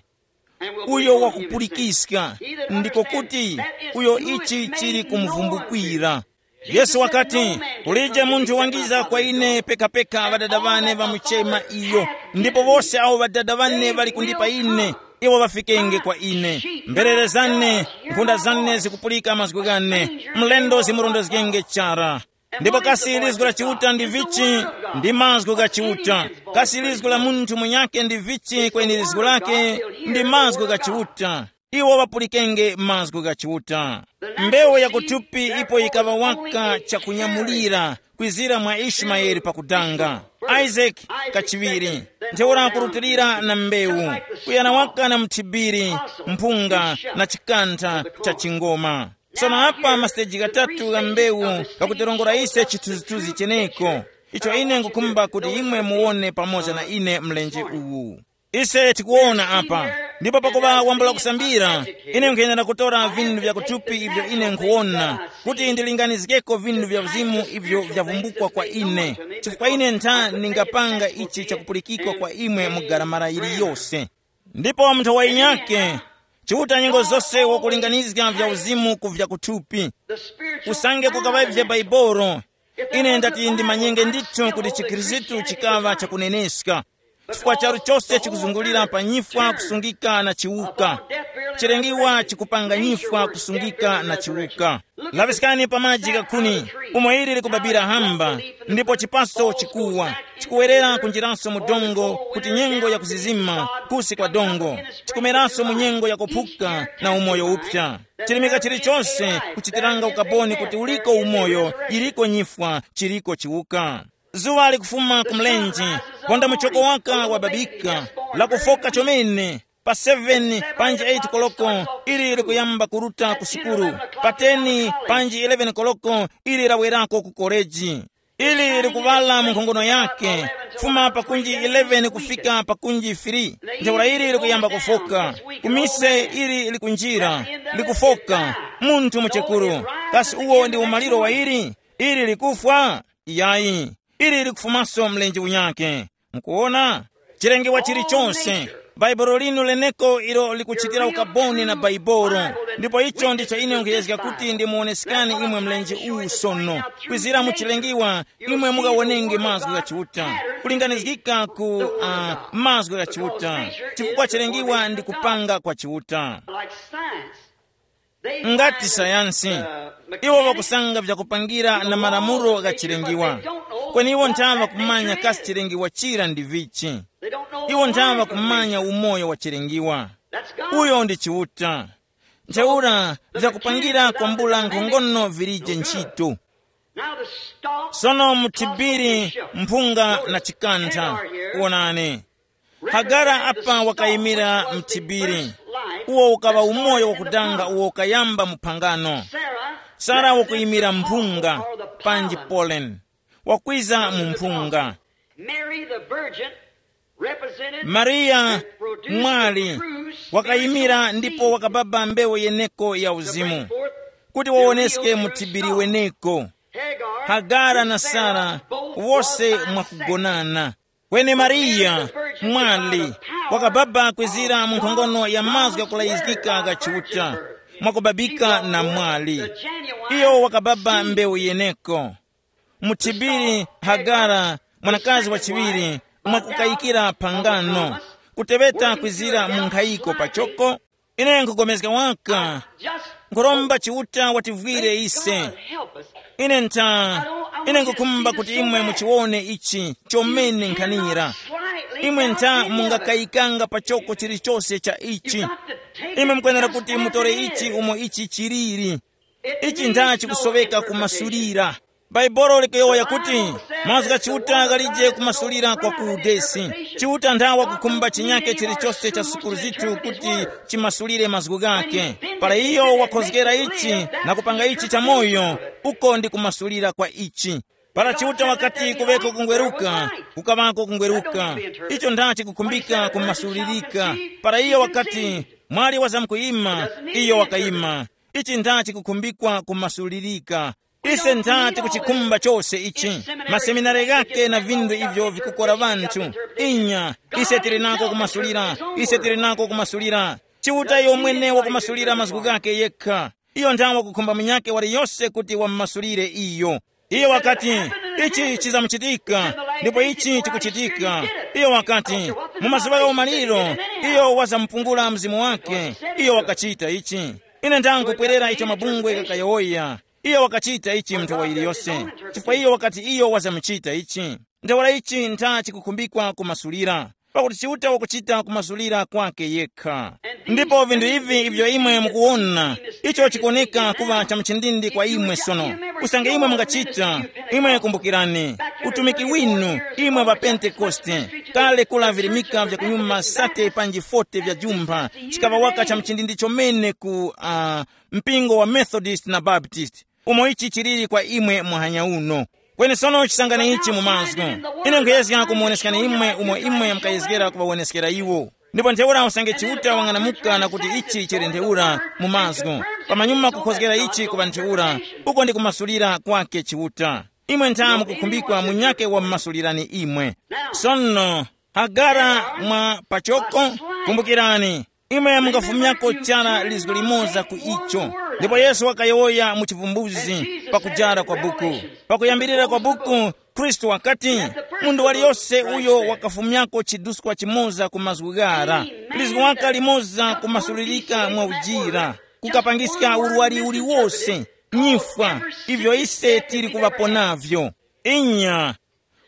Uyo wakupulikiska, ndiko kuti, uyo ichi chili kumuvumbukwira. Yesu wakati, kulije munthu wangiza kwa ine pekapeka ŵadada ŵane ŵamuchema iyo, ndipo wose awo ŵadada ŵane ŵali kundipa ine, iwo ŵafikenge kwa ine. Mberere zane, nkhunda zane zikupulika mazgu ghane, mlendo zimurondezgenge chara. Ndipo kasi lizgu la Chiuta ndi vichi? Ndi mazgu gha Chiuta. Kasi lizgu la munthu munyakhe ndi vichi kweni lizgu lake? Ndi mazgu gha Chiuta. Iwo ŵapulikenge mazgu gha Chiuta. Mbewu ya kuthupi ipo yikaŵa waka chakunyamulira kwizira mwa Ishimayeli pakudanga. Isaki kachiŵiri, ntheura kurutilira na mbewu, kuyana waka na mthibiri, mphunga na chikantha cha chingoma. Sono apa masiteji ghatatu gha mbewu ghakutirongora ise chithunzithunzi cheneko, icho ine ngukhumba kuti imwe muwone pamoza na ine mlenje uwu. Ise tikuwona apa, ndipo pakuŵa wambula kusambira, ine nkhuyenera kutora vinthu vya kuthupi ivyo ine nkhuwona, kuti ndilinganizgeko vinthu vya uzimu ivyo vyavumbukwa kwa ine, chifukwa ine ntha ndingapanga ichi chakupulikikwa kwa imwe mu garamara yiliyose. Ndipo munthu wa inyake, Chiuta nyengo zose wakulinganizga vya uzimu ku vya kuthupi. Usange kukaŵavye Baibolo, ine ndati ndimanyenge ndithu kuti chikhristu chikaŵa chakuneneska, chifukwa charu chose chikuzungulira pa nyifwa kusungika na chiwuka. Chilengiwa chikupanga nyifwa kusungika na chiwuka. Laŵiskani pa maji ghakhuni, umo ili likubabira hamba, ndipo chipaso chikuwa, chikuwerera kunjiraso mu dongo kuti nyengo ya kuzizima kusi kwa dongo, chikumeranso mu nyengo ya kuphuka na umoyo upsa. Chilimika chilichonse kuchitiranga ukaboni kuti uliko umoyo, iliko nyifwa, chiliko chiwuka. Zuŵa likufuma ku mlenje, ponda muchoko waka wababika, lakufoka chomene, pa seven panji eight koloko ili likuyamba kuruta ku sukulu, pa ten panji eleven koloko ili lawerako ku koleji. Ili likuŵala mu nkhongono yake, kufuma pakunji eleven kufika pakunji three. Ntheura ili likuyamba kufoka, kumise ili likunjira, likufoka. Munthu muchekuru, kasi uwo ndi umaliro wa ili? Ili likufwa? Iyayi, ili likufumaso mlenje unyake. Mukuwona? Chilengewa chilichonse, Bhaibuli linu leneko ilo likuchitira ukaboni na Bhaibuli. Ndipo icho ndicho ine nkhuyezga kuti ndimuwonesekani imwe mlenje uwu sono. Kwizira mu chilengewa, imwe mukawonenge mazgu gha Chiuta, kulinganizgika ku uh, mazgu gha Chiuta, chifukwa chilengewa ndi kupanga kwa Chiuta. Like science. Ngati sayansi, iwo ŵakusanga vyakupangira na malamulo gha chilengiwa, kweni iwo nthaŵa kumanya kasi chilengiwa chira ndi vichi. Iwo nthaŵa kumanya umoyo wa chilengiwa. Uyo ndi Chiuta. Ntheura vyakupangira kwambula nkhongono vilije ntchito. Sono muthibiri, mphunga na chikantha, wonani. Hagara apa wakayimira mthibiri, uwo ukaŵa umoyo wakudanga uwo ukayamba mu phangano. Sara wakuyimira mphunga, panji pollen. Wakwiza mu mphunga. Mary the Virgin represented Mariya and produced mwali the true wakayimira spiritual ndipo seed wakababa mbewu yeneko ya to bring uzimu forth kuti the wawoneske real muthibiri first weneko. Hagar Hagara na and Sarah Sarah both wose was by mwakugonana. Kweni Mariya mwali wakababa kwizira mu nkhongono ya mazgu yakulayizgika ga Chiuta mwakubabika na mwali. Iyo wakababa mbewu yeneko. Muthibiri Hagara, mwanakazi wa chiŵiri, mwakukayikira phangano, kuteŵeta kwizira mu nkhayiko pachoko. Ine nkhupulikana waka, nkhuromba Chiuta wativwire ise. Ine ntha, ine nkhukhumba kuti imwe muchiwone ichi chomene nkhanira. Imwe ntha mungakayikanga pachoko chilichonse cha ichi. Imwe mukwenera kuti mutore ichi umo ichi chiliri. Ichi ntha chikusoweka kumasulira. Bhaibuli likuyowoya kuti, mazgu gha Chiuta ghalije kumasulira kwa ku udesi. Chiuta ntha wakukhumba chinyake chilichose cha sukulu zithu kuti chimasulire mazgu ghakhe. Para iyo wakhozgera ichi na kupanga ichi chamoyo, uko ndi kumasulira kwa ichi. Para Chiuta wakati kuŵeko kungweruka, kukaŵako kungweruka. Icho ntha chikukhumbika kumasulirika. Para iyo wakati, mwali wazamkuyima, iyo wakayima. Ichi ntha chikukhumbikwa kumasulirika. Ise ntha tikuchikhumba chose ichi, maseminari ghake na vinthu ivyo vikukora ŵanthu. Inya, ise tili nako kumasulira, ise tili nako kumasulira. Chiuta iyo mwene wakumasulira mazgu ghake yekha. Iyo ntha wakukhumba munyakhe waliyose kuti wamumasulire iyo. Iyo wakati, ichi chizamuchitika, ndipo ichi chikuchitika. Iyo wakati, mu mazuŵa gha umaliro, iyo wazamupungula mzimu wake. Iyo wakachita ichi. Ine ndangupwerera icho mabungwe ghakayowoya. Iyo wakachita ichi mu nthawi yiliyose, chifukwa iyo wakati iyo wazamuchita ichi. Ntheura ichi ntha chikukhumbikwa kumasulira, pakuti Chiuta wakuchita kumasulira kwake yekha. Ndipo vinthu ivi ivyo imwe mukuwona, icho chikuwoneka kuŵa cha mchindindi kwa imwe sono. Usange imwe mungachita, imwe kumbukirani utumiki winu, imwe ŵa Pentekoste, kale kula virimika vya kunyuma sate panji forty vya jumpha, chikaŵa waka cha mchindindi chomene ku uh, mpingo wa Methodist na Baptist, umo ichi chiliri kwa imwe muhanya uno. Kweni sono chisangani ichi mu mazgu. Ine nkhuyezga kumuwoneskani imwe umo imwe mukayezgera kuŵawoneskera iwo. Ndipo ntheura usange Chiuta wang'anamuka na kuti ichi chili ntheura mu mazgu, pamanyuma kukhozgera ichi kuŵa ntheura, uko ndi kumasulira kwake Chiuta. Imwe ntha mukukhumbikwa munyakhe wamumasulirani imwe. Sono, Hagara mwa pachoko, kumbukirani, imwe mungafumyako chara lizgu limoza ku icho. Ndipo Yesu wakayowoya mu chivumbuzi pakujara kwa buku. Pakuyambirira kwa buku, Khristu wakati, munthu waliyose uyo wakafumyako chiduskwa chimoza ku mazgu ghara, lizgu waka limoza kumasulirika mwa ujira, kukapangiska urwari uliwose, nyifwa, ivyo ise tili kuŵapo navyo. Inya,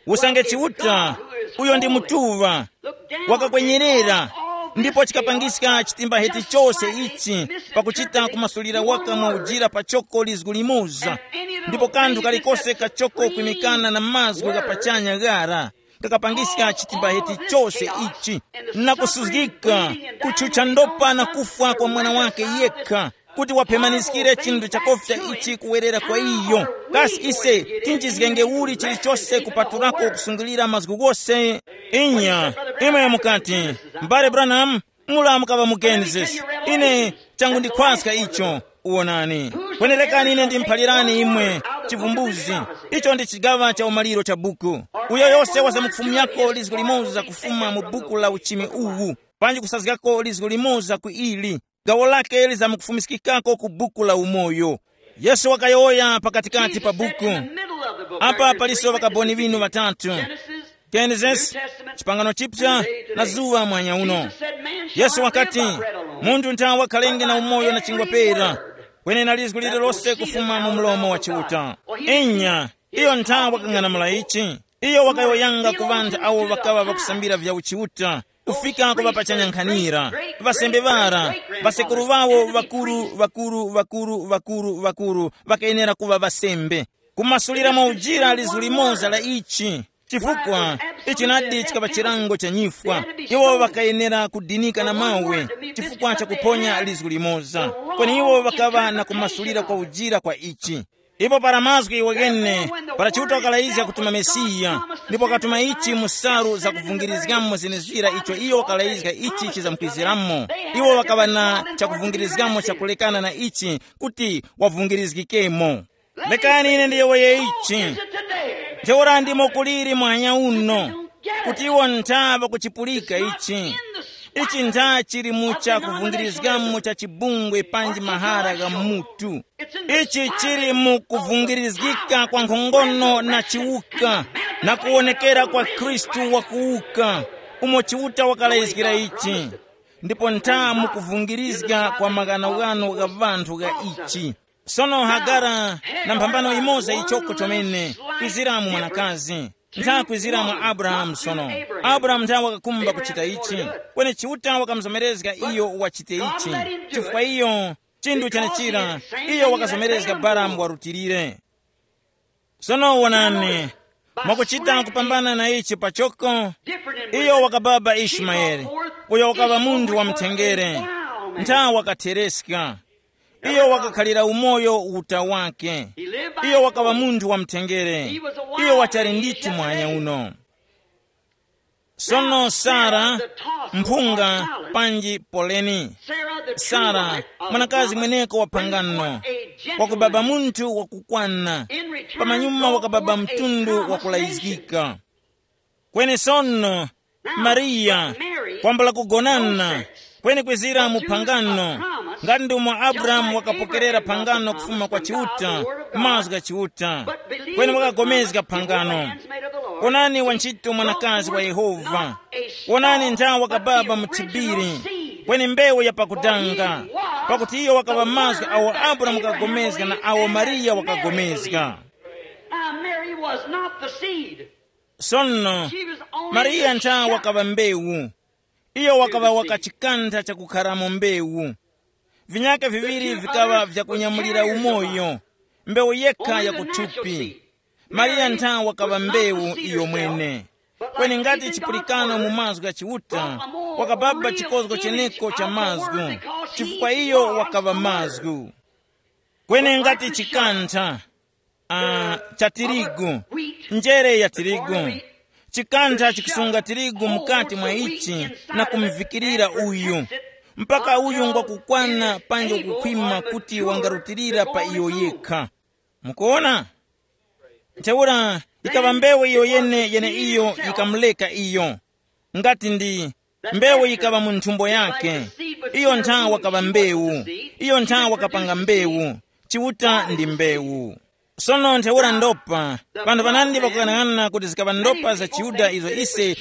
usange Chiuta, uyo ndi mutuŵa, wakakwenyerera, ndipo chikapangiska chitimbaheti chose ichi, pakuchita kumasulira waka mwa ujira pachoko lizgu limoza, ndipo kanthu kalikose kachoko kwimikana na mazgu gha pachanya ghara, kakapangiska chitimbaheti chose ichi, na kusuzgika, kutchutcha ndopa na kufwa kwa mwana wake yekha, kuti waphemaniskire chinthu chakofya ichi kuwerera kwa iyo. Kasi ise tinchizgenge uli chilichose kupatulako kusungilira mazgu ghose? Inya, imwe mukati, m'bale Branham, mula mukaŵa mu Genesis. Ine changu ndikhwaska icho. Uwonani, kwenerekani ine ndimuphalirani imwe chivumbuzi. Icho ndi chigaŵa cha umaliro cha buku. Uyo yose wazamkufumyako lizgu limoza kufuma mu buku la uchimi uwu, panji kusazgako lizgu limoza ku ili, gawo lake lizamkufumiskikako ku buku la umoyo. Yesu wakayowoya pakatikati pa buku. Apa paliso ŵakaboni ŵinu ŵatatu: Genesis, chipangano chipsa, na zuŵa mwanya uno. Yesu wakati, munthu ntha wakhalenge na umoyo na chingwa pera, kweni na lizgu lililose kufuma mu mlomo wa Chiuta. Inya, iyo ntha wakang'anamula ichi. Iyo wakayowoyanga ku ŵanthu awo ŵakaŵa ŵakusambira vya uchiuta, kufika ku ŵapachanyankhanira, ŵasembe ŵara, ŵasekuru ŵawo ŵakuru ŵakuru ŵakuru ŵakuru ŵakuru ŵakayenera kuŵa ŵasembe. Kumasulira mwa ujira lizu limoza la ichi, chifukwa ichi nadi chikaŵa chilango cha nyifwa. Iwo ŵakayenera kudinika na mawe chifukwa cha kuponya lizu limoza. Kweni iwo ŵakaŵa na kumasulira kwa ujira kwa ichi. Ipo para mazgu iwo ghene, para Chiuta wakalayizga kutuma Mesiya, ndipo wakatuma ichi mu salu zakuvungirizgamo zenezira icho iyo wakalayizga ichi chizamkwiziramo, iwo wakaŵa na chakuvungirizgamo chakulekana na ichi kuti wavungirizgikemo. Lekani ine ndiyowoye ichi. Ntheura ndimo kuliri mwanya uno, kuti iwo ntha ŵakuchipulika ichi. Ichi ntha chili mu chakuvungirizgamo cha chibungwe panji mahara gha mutu. Ichi chili mu kuvungirizgika kwa nkhongono na chiwuka, na kuwonekera kwa Khristu wakuwuka, umo Chiuta wakalayizgira ichi, ndipo ntha mu kuvungirizga kwa maghanoghano gha vanthu gha ichi. Sono Hagara na mphambano imoza ichoko chomene, kwizira mu mwanakazi, ntha kwizira mwa Abrahamu. Sono Abrahamu ntha wakakumba kuchita ichi, kweni Chiuta wakamuzomerezga iyo wachite ichi, chifukwa iyo chinthu chenechira, iyo wakazomerezga Balamu warutilire. Sono wonani, mwakuchita kupambana na ichi pachoko, iyo wakababa Ishimayeli, uyo wakaŵa munthu wa mthengere, ntha wakathereska. Iyo wakakhalira umoyo uta wake. Iyo wakaŵa munthu wa mthengere. Iyo wachali ndithu mwanya uno. Sono Sara, mphunga, panji poleni, Sara, mwanakazi mweneko wa phangano, wakubaba munthu wakukwana, pamanyuma wakababa mtundu wakulayizgika. Kweni sono, Mariya, kwambula kugonana, kweni kwizira mu phangano, ngati ndi umo Abrahamu wakapokerera phangano kufuma kwa Chiuta, mazgu gha Chiuta, kweni wakagomezga phangano. Onani wantchito mwanakazi wa Yehova. Onani nthawe wakababa mu thibiri, kweni mbewu ya pakudanga, pakuti iyo wakaŵa mazgu awo Abrahamu wakagomezga na awo Mariya wakagomezga. Now, Mary was not the seed. Sono, She was only Mariya the nthawe shepherd. Wakaŵa mbewu. Iyo wakaŵa waka chikantha chakukharamo mbewu. Vinyaka viŵiri vikaŵa vyakunyamulira umoyo, mbewu yekha ya kuthupi. Mariya ntha wakaŵa mbewu iyo mwene. Kweni ngati chipulikano mu mazgu gha Chiuta, wakababa chikozgo cheneko cha mazgu, chifukwa iyo wakaŵa mazgu. Kweni ngati chikantha, ah, cha tirigu, njere ya tirigu, chikantha chikusunga tirigu mukati mwa ichi na kumvikirira uyu, mpaka uyu ngwakukwana panji kukhwima kuti wangarutilira pa iyo yekha. Mukuona? Ntheura ikaŵa mbewu iyo yene yeneiyo yikamuleka iyo. Ngati ndi mbewu yikaŵa mu nthumbo yake, iyo nthawe wakaŵa mbewu, iyo nthawe wakapanga mbewu. Chiuta ndi mbewu. Sono ntheura ndopa, panthu panandi pakughanaghanana kuti zikaŵa ndopa za Chiyuda izo ise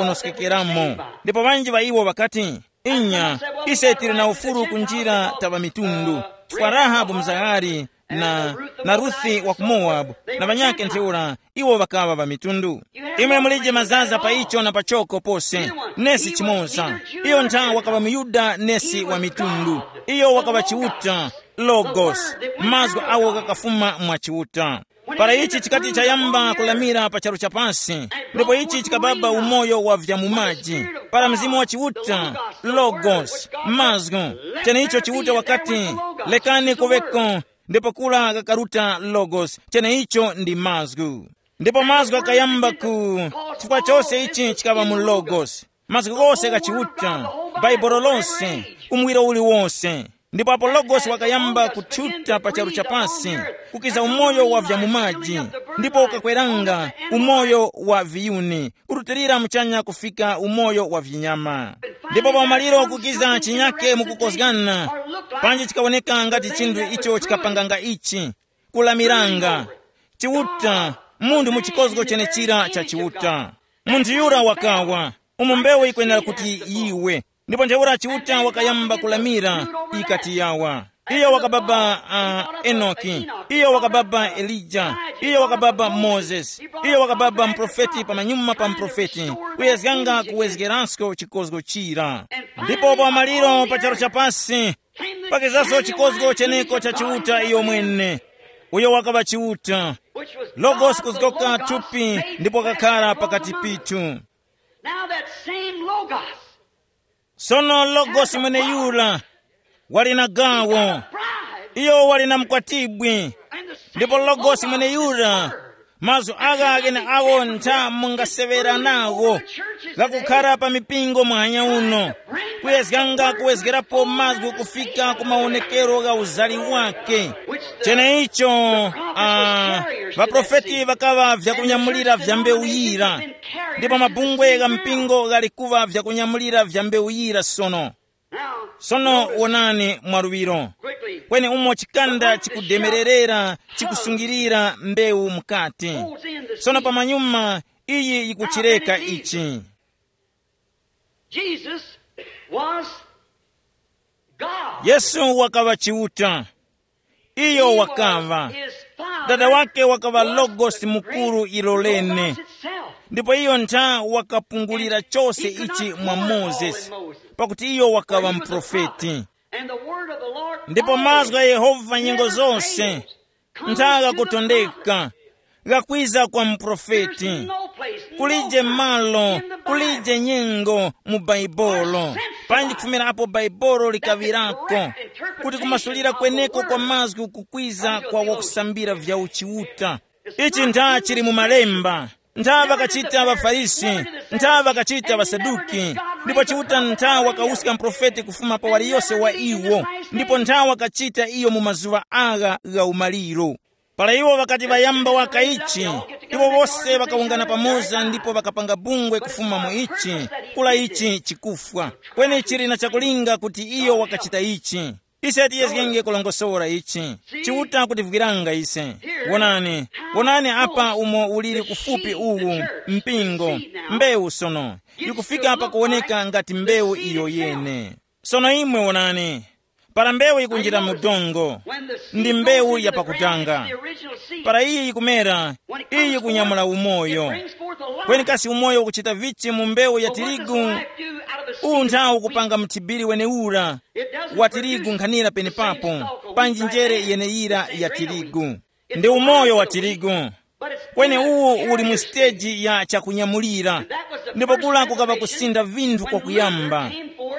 tikaponoskekeramo. Ndipo ŵanji ŵa iwo ŵakati, inya, ise tili na ufulu kunjira ta ŵamitundu, chifukwa Rahabu mzaghali na, na Ruthi wa ku Mowabu, na ŵanyakhe ntheura, iwo ŵakaŵa ŵamitundu. Imwe mulije mazaza pa icho na pachoko pose, nesi chimoza. Iyo ntha wakaŵa muYuda nesi wa mitundu. Iyo wakaŵa Chiuta, Logos, mazgu awo ghakafuma mwa Chiuta. Para ichi chikati chayamba kulamira pa charu cha pasi, ndipo ichi chikababa umoyo wa vya mu maji. Para Mzimu wa Chiuta, Logos, mazgu, cheneicho Chiuta wakati, lekani kuŵeko, ndipo kura kakaruta Logos, cheneicho ndi mazgu. Ndipo mazgu akayamba ku, chifukwa chose ichi chikaŵa mu Logos. Mazgu ghose gha Chiuta, Bhaibuli lose, umuwiro uliwose. Ndipo apo Logos wakayamba kuthuta pa charu cha pasi, kukiza umoyo wa vya mu maji, ndipo ukakweranga umoyo wa viyuni, kurutilira muchanya kufika umoyo wa vinyama. Ndipo pa umaliro kukiza chinyake mukukozgana, panji chikawoneka ngati chinthu icho chikapanganga ichi, kulamiranga. Chiuta, munthu mu chikozgo chenechira cha Chiuta. Munthu yura wakawa, umo mbewu yikwenera kuti yiwe. Ndipo ntheura Chiuta wakayamba kulamira, ikati yawa. Iyo wakababa, uh, Enoki. Iyo wakababa Elija. Iyo wakababa Mozesi. Iyo wakababa mprofeti pamanyuma pa mprofeti, kuyezganga kuwezgerasko chikozgo chira. Ndipo pa maliro pa charu cha pasi, pakizaso chikozgo cheneko cha Chiuta iyo mwene. Uyo wakaŵa Chiuta. Logos kuzgoka thupi ndipo wakakhara pakati pithu. Now that same Logos. Sono Logos mweneyura wali na gawo. Bride. Iyo wali na mkwatibwi. And the Ndipo logosi mweneyura, mazgu agha gheneagho ntha mungaseŵera nagho ghakukhara pa mipingo muhanya uno, kuyezganga kuwezgerapo mazgu kufika ku mawonekero gha uzali wake. Cheneicho, uh, ŵaprofeti ŵakaŵa vyakunyamulira vya mbewu yira, ndipo mabungwe gha mpingo ghali kuŵa vyakunyamulira vya mbewu yira sono. Sono wonani mwaluŵiro, kweni umo chikanda chikudemererera, chikusungirira mbewu mukati. Sono pamanyuma, iyi yikuchireka ichi. Jesus was God. Yesu wakaŵa Chiuta. Iyo wakaŵa. Dada wake wakaŵa Logosi mukuru ilo lene. Ndipo iyo ntha wakapungulira chose ichi mwa Mozesi, pakuti iyo wakaŵa muprofeti. Ndipo mazgu gha Yehova nyengo zose ntha ghakutondeka, ghakwiza kwa muprofeti. Kulije malo, kulije nyengo mu Baibolo, panji kufumira apo Baibolo likaŵirako, kuti kumasulira kweneko kwa mazgu kukwiza kwa wakusambira vya uchiuta. Ichi ntha chili mu Malemba. Ntha ŵakachita ŵaFarisi, ntha ŵakachita ŵaSaduki, ndipo Chiuta ntha wakawuska muprofeti kufuma pa waliyose wa iwo, ndipo ntha wakachita iyo mu mazuŵa agha gha umaliro. Para iwo ŵakati ŵayamba waka ichi, iwo wose ŵakawungana pamoza ndipo ŵakapanga bungwe kufuma mu ichi, kula ichi chikufwa. Kweni chili na chakulinga kuti iyo wakachita ichi. Ise tiyezgenge kulongosora ichi. Chiuta kutivwiranga ise. Wonani, wonani apa umo uliri kufupi uwu, mpingo, mbewu sono, yikufika pakuwoneka ngati mbewu iyo yene. Sono imwe wonani, para mbewu yikunjira mu dongo, ndi mbewu ya pakutanga. Para iyi yikumera, iyi yikunyamula umoyo. Kweni kasi umoyo ukuchita vichi mu mbewu ya tirigu? Uwu nthawu ukupanga mthibiri wenewura wa tirigu nkhanira penepapo, panji njere yeneyira ya tirigu. Ndi umoyo wa tirigu. Kweni uwu uli mu siteji ya chakunyamulira. Ndipo kula kukaŵa kusinda vinthu kwakuyamba.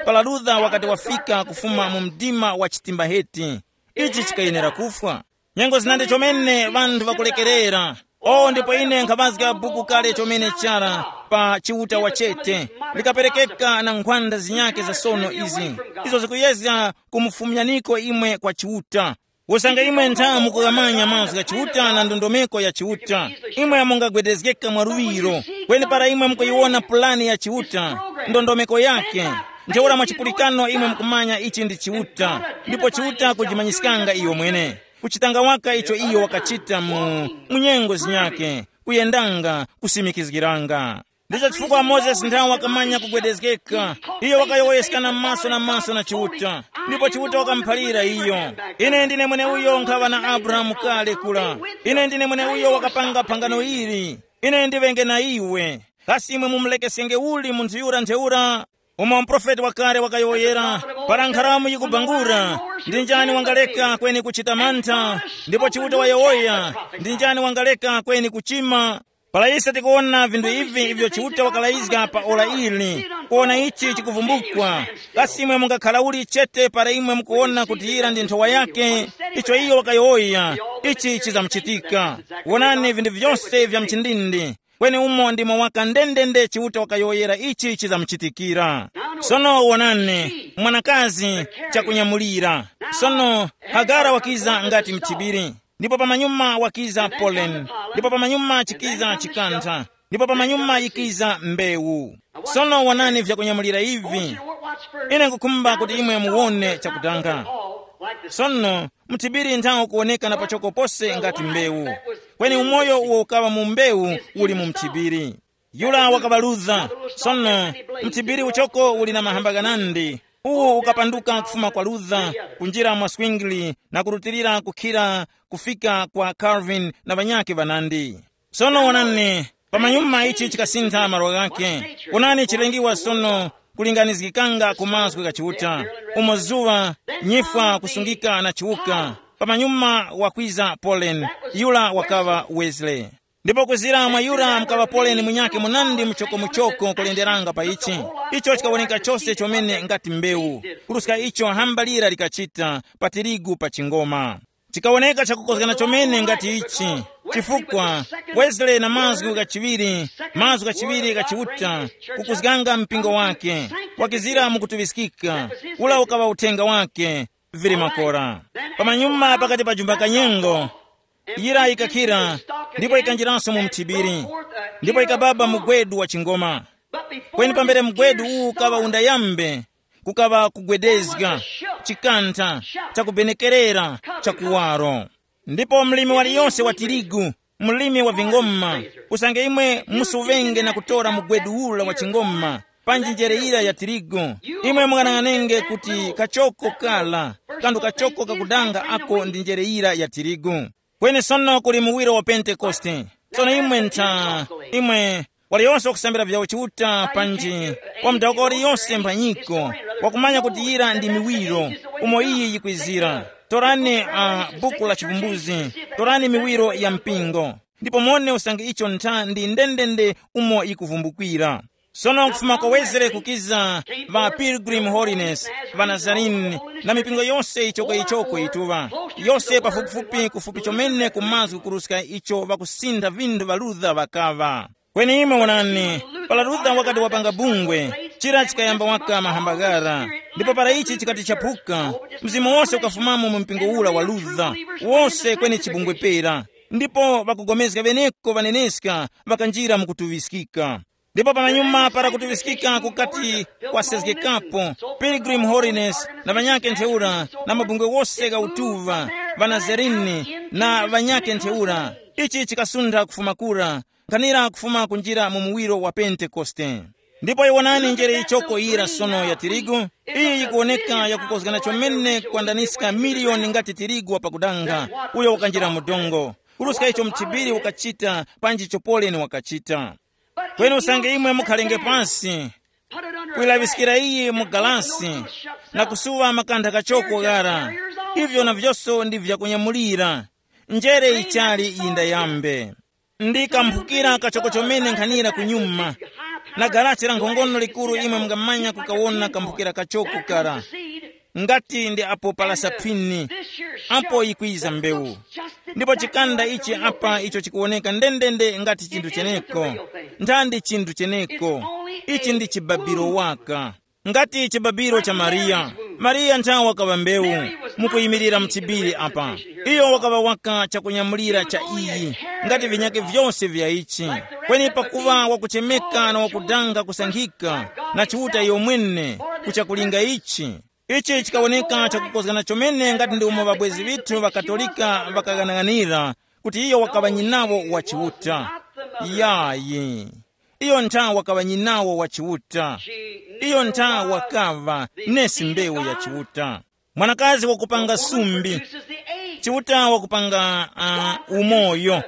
Para Luther wakati wafika kufuma mu mdima wa chitimbaheti, ichi chikayenera kufwa. Nyengo zinandi chomene ŵanthu ŵakulekerera. O, ndipo ine nkhaŵazga buku kale chomene chara pa Chiuta wachete, likaperekeka na nkhwanda zinyake za sono izi, izo zikuyezga kumufumyaniko imwe kwa Chiuta. Usange imwe ntha mukughamanya mazgu gha Chiuta na ndondomeko ya Chiuta, imwe mungagwedezgeka mwaluŵiro. Kweni para imwe mukuyiwona pulani ya Chiuta, ndondomeko yake, ntheura mwa chipulikano imwe mukumanya ichi ndi Chiuta, ndipo Chiuta kujimanyiskanga iyo mwene, kuchitanga waka icho iyo wakachita mu, mu nyengo zinyakhe, kuyendanga, kusimikizgiranga. Ndicho chifukwa Mozesi nthawe wakamanya kugwedezgeka. Iyo wakayowoyeskana maso na maso na Chiuta, ndipo Chiuta wakamuphalira iyo, "Ine ndine mweneuyo nkhaŵa na Abrahamu kale kula. Ine ndine mweneuyo wakapanga phangano ili. Ine ndiŵenge na iwe. Kasi imwe mumulekesenge uli munthu yura ntheura?" Umo muprofeti wakale wakayowoyera, "Para nkharamu yikubangura, ndi njani wangaleka kweni kuchita mantha? Ndipo Chiuta wayowoya, ndi njani wangaleka kweni kuchima?" Para ise tikuwona vinthu ivi ivyo Chiuta wakalayizga pa ora ili, kuwona ichi chikuvumbukwa, kasi imwe mungakhala uli chete para imwe mukuwona kuti yira ndi nthowa yake? Icho iyo wakayowoya, ichi chizamuchitika. Wonani vinthu vyose vya mchindindi, kweni umo ndimo waka ndendende Chiuta wakayowoyera ichi chizamuchitikira. Sono wonani, mwanakazi, chakunyamulira. Sono Hagara wakiza ngati mthibiri. Ndipo pamanyuma wakiza poleni, ndipo pamanyuma chikiza chikantha, ndipo pamanyuma yikiza mbewu. Sono wonani vyakunyamulira ivi. Ine nkukhumba kuti imwe muwone chakutanga. Sono mthibiri nthawo kuwoneka na pachoko pose ngati mbewu, kweni umoyo uwo ukaŵa mu mbewu uli mu mthibiri. Yura wakaŵa Luther. Sono, mthibiri uchoko uli na mahamba ghanandi. Uwu ukapanduka kufuma kwa Luther, kunjira mwa swingli na kurutilira kukhira kufika kwa Calvin na ŵanyakhe ŵanandi. Sono wonani, pamanyuma ichi chikasintha malo ghakhe. Wonani chilengiwa sono kulinganizgikanga ku mazgu gha Chiuta, umo zuŵa, nyifwa kusungika na chiwuka. Pamanyuma wakwiza Pauline, yura wakaŵa Wesley. Ndipo kuzira mwa yura mukaŵa Pauline munyakhe munandi muchokomuchoko kulenderanga pa ichi. Icho chikawoneka chose chomene ngati mbewu, kuruska icho hamba lira likachita pa tirigu pa chingoma. Chikawoneka chakukozgana chomene ngati ichi, chifukwa Wesley na mazgu ghachiŵiri, mazgu ghachiŵiri gha Chiuta, kukuzganga mpingo wake, wakizira mukutuŵiskika, ula ukaŵa uthenga wake, vili makora. Pamanyuma pakati pa jumba kanyengo, yira yikakhira, ndipo yikanjiranso mu mthibiri, ndipo yikababa mugwedu wa chingoma. Kweni pambere mugwedu uwu ukaŵa undayambe, kukaŵa kugwedezga, chikantha, chakubenekerera, chakuwaro. Ndipo mlimi waliyonse wa tirigu, mlimi wa vingoma, usange imwe musuŵenge na kutora mugwedu ula wa chingoma, panji njere yira ya tirigu, imwe mung'anang'anenge kuti kachoko kala, kanthu kachoko kakudanga ako ndi njere yira ya tirigu. Kweni sono kuli muwiro wa Pentekoste. Sono imwe ntha, imwe, waliyonse wakusambira vyawo Chiuta panji, wa mudawuka waliyonse mphanyiko, wakumanya kuti yira ndi miwiro, umo iyi yikwizira. Torani a buku la chivumbuzi, torani miwiro ya mpingo, ndipo mone usange icho ntha ndi ndendende umo yikuvumbukira. Sono kufuma kwa Wesley kukiza va Pilgrim Holiness, va Nazarene, na mipingo yose ichoko ichoko ituŵa, yose pafupifupi kufupi chomene ku mazgu kuruska icho ŵakusintha vinthu ŵa Luther ŵakaŵa. Kweni imwe wonani, para Luther wakati wapanga bungwe, chira chikayamba waka mahambagara, ndipo para ichi chikati chaphuka, mzimu wose ukafumamo mu mpingo ula wa Luther, wose kweni chibungwe pera. Ndipo ŵakugomezga ŵeneko ŵaneneska ŵakanjira mu kutuŵiskika. Ndipo pamanyuma para kutuŵiskika kukati kwasezgekapo, Pilgrim Holiness na ŵanyakhe ntheura, na mabungwe wose gha utuŵa, ŵanazarini na ŵanyakhe ntheura, ichi chikasuntha kufuma kura, nkhanira kufuma kunjira mu muwiro wa Pentekoste. Ndipo iwonani njere yichoko yira sono ya tirigu, iyi yikuwoneka yakukozgana chomene kwandaniska miliyoni ngati tirigu wa pakudanga, uyo wakanjira mu dongo, kuruska icho mthibiri wakachita panji chopoleni wakachita. Kweni usange imwe mukhalenge pansi, kuyilaŵiskira iyi mu galasi, na kusuŵa makantha kachoko ghara, ivyo na vyose ndi vyakunyamulira, njere ichali yindayambe. Ndi kamphukira kachoko chomene nkhanira kunyuma, na galasi la nkhongono likuru imwe mungamanya kukawona kamphukira kachoko kara. Ngati ndi apo palasa phini, apo yikwiza mbewu. Ndipo chikanda ichi apa icho chikuwoneka ndendende ngati chinthu cheneko, nthandi chinthu cheneko. Ichi ndi chibabiro waka. Ngati chibabiro cha Mariya. Mariya nthawe wakaŵa mbewu, mukuyimirira mchibiri apa. Iyo wakaŵa waka chakunyamulira cha iyi, ngati vinyake vyose vya ichi. Kweni pakuva wakuchemeka na wakudanga kusankhika, na Chiuta iyo mwene, kuchakulinga ichi. Ichi chikawoneka chakukozgana chomene ngati ndi umo ŵabwezi ŵithu ŵa Katolika ŵakaghanaghanira kuti iyo wakaŵa nyinawo wa Chiuta. Yayi. Iyo ntha wakaŵa nyinawo wa Chiuta. Iyo ntha wakaŵa nesi mbewu ya Chiuta. Mwanakazi wakupanga sumbi. Chiuta wakupanga uh, umoyo.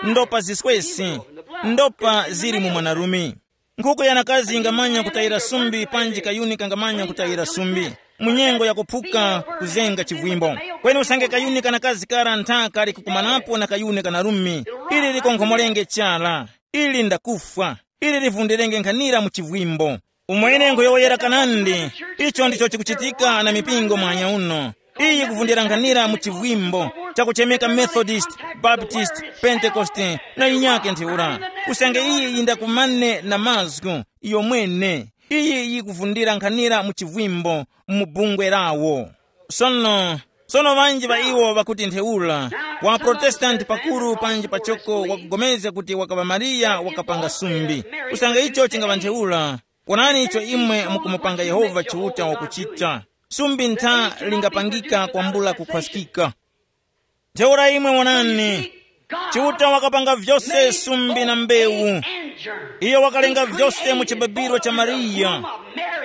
Ndopa ziswesi. Ndopa zili mu mwanarume. Nkhuku yanakazi ingamanya kutayira sumbi panji kayuni kangamanya kutayira sumbi. Mu nyengo yakuphuka kuzenga chivwimbo. Kweni usange kayuni kanakazi kara ntha kali kukumanapo na kayuni kanarume, ili likonkhomorenge chara. Ili ndakufwa. Ili livundirenge nkhanira mu chivwimbo. Umwene nkhuyowoyera kanandi. Icho ndicho chikuchitika na mipingo mwanya uno. Iyi kuvundira nkhanira mu chivwimbo chakuchemeka Methodist, Baptist, Pentekoste, na inyake ntheura. Usange iyi yindakumane na mazgu iyo mwene, iyi yikuvundira nkhanira mu chivwimbo mu bungwe lawo. Sono, sono ŵanji ŵa iwo ŵakuti ntheura, wa Protestanti pakuru panji pachoko wakugomezga kuti wakaŵa Mariya wakapanga sumbi. Usange icho chingaŵa ntheura, wonani icho imwe mukumupanga Yehova Chiuta wakuchita. Sumbi ntha lingapangika kwambula kukhwaskika. Ntheura imwe wonani, Chiuta wakapanga vyose sumbi na mbewu. Iyo wakalenga vyose mu chibabiro cha Mariya.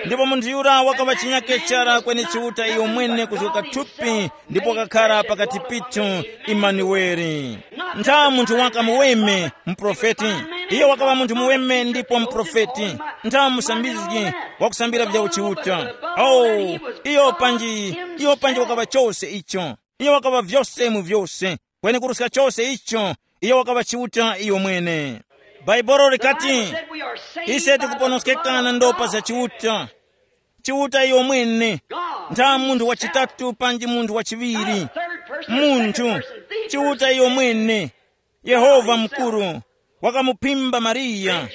Ndipo munthu yura wakaŵa chinyake chara kweni Chiuta iyo mwene kuzgoka thupi ndipo wakakhara pakati pithu, Imanueli. Ntha munthu waka muweme, muprofeti. Iyo wakaŵa munthu muweme ndipo muprofeti. Ntha musambizgi wakusambira vya uchiuta. Oh, iyo panji, iyo panji wakaŵa chose icho. Iyo wakaŵa vyose mu vyose. Kweni kuruska chose icho, iyo wakaŵa Chiuta iyo mwene. Bhaibuli likati, ise tikuponoskeka na ndopa za Chiuta. Chiuta iyo mwene. Ntha munthu wa chitatu panji munthu wa chiŵiri. Munthu, Chiuta iyo mwene, Yehova mukuru, wakamuphimba Mariya,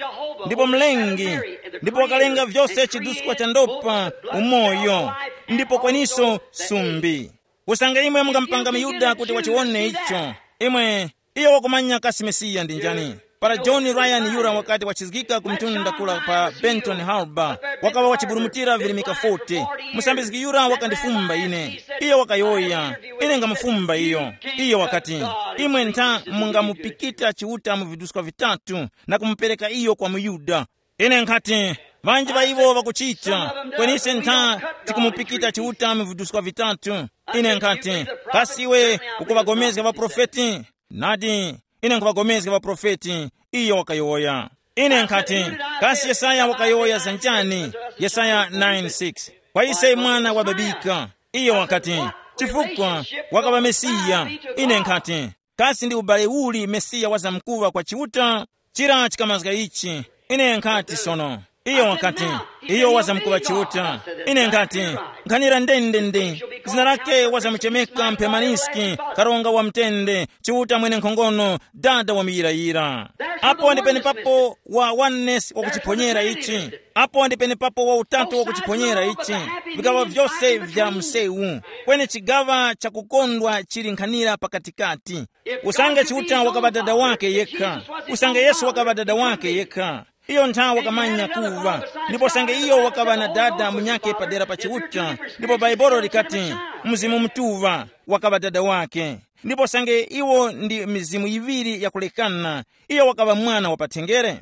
ndipo Mlengi, ndipo wakalenga vyose chiduskwa cha ndopa, umoyo, ndipo kweniso sumbi. Usange imwe mungamupanga muyuda kuti wachiwone icho, imwe, iyo wakumanya kasi Mesiya ndi njani. Para John Ryan yura wakati wachizgika ku mtunda kula pa Benton Harbor, wakawa wachiburumutira virimika forty. Musambizgi yura wakandifumba ine. Iyo wakayowoya, ine ngamufumba iyo. Iyo wakati, imwe ntha mungamupikita Chiuta mu viduska vitatu na kumupereka iyo kwa muyuda. Ine nkhati, ŵanji ŵa iwo ŵakuchita, kweni ise ntha tikumupikita Chiuta mu viduska vitatu. Ine nkhati, kasi iwe ukuŵagomezga ŵaprofeti? Nadi, ine nkhuŵagomezga ŵaprofeti, iyo wakayowoya. Ine nkhati, kasi Yesaya wakayowoya za njani? Yesaya nine six. Kwa ise mwana wababika, iyo wakati, chifukwa wakaŵa Mesiya. Ine nkhati, kasi ndi ubale uli Mesiya wazamkuŵa kwa Chiuta? Chira chikamazga ichi. Ine nkhati sono. Iyo wakati, iyo wazamkuŵa Chiuta. Ine nkhati, nkhanira ndendende. Zina lake wazamuchemeka Mphemaniski, karonga wa mtende, Chiuta mwene nkhongono, dada wa muyirayira. Apo ndi penepapo wa oneness wakuchiphonyera ichi. Apo ndi penepapo wa utatu wakuchiphonyera ichi. Vigaŵa vyose vya msewu, kweni chigaŵa chakukondwa chili nkhanira pakatikati. Usange Chiuta wakaŵa dada wake yekha, usange Yesu wakaŵa dada wake yekha, iyo nthawi wakamanya kuva. Ndipo usange iyo wakaŵa na dada munyake padera pa Chiuta, ndipo Bhaibuli likati, Mzimu Mutuŵa wakaŵa dada wake. Ndipo usange iwo ndi mizimu yiŵiri yakulekana, iyo wakaŵa mwana wa pathenjere.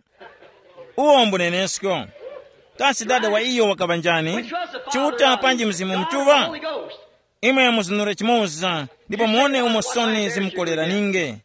Uwo mbunenesko. Kasi dada wa iyo wakaŵa njani? Chiuta panji Mzimu Mutuŵa? Imwe muzunure chimoza, ndipo muone umo soni zimukoleraninge.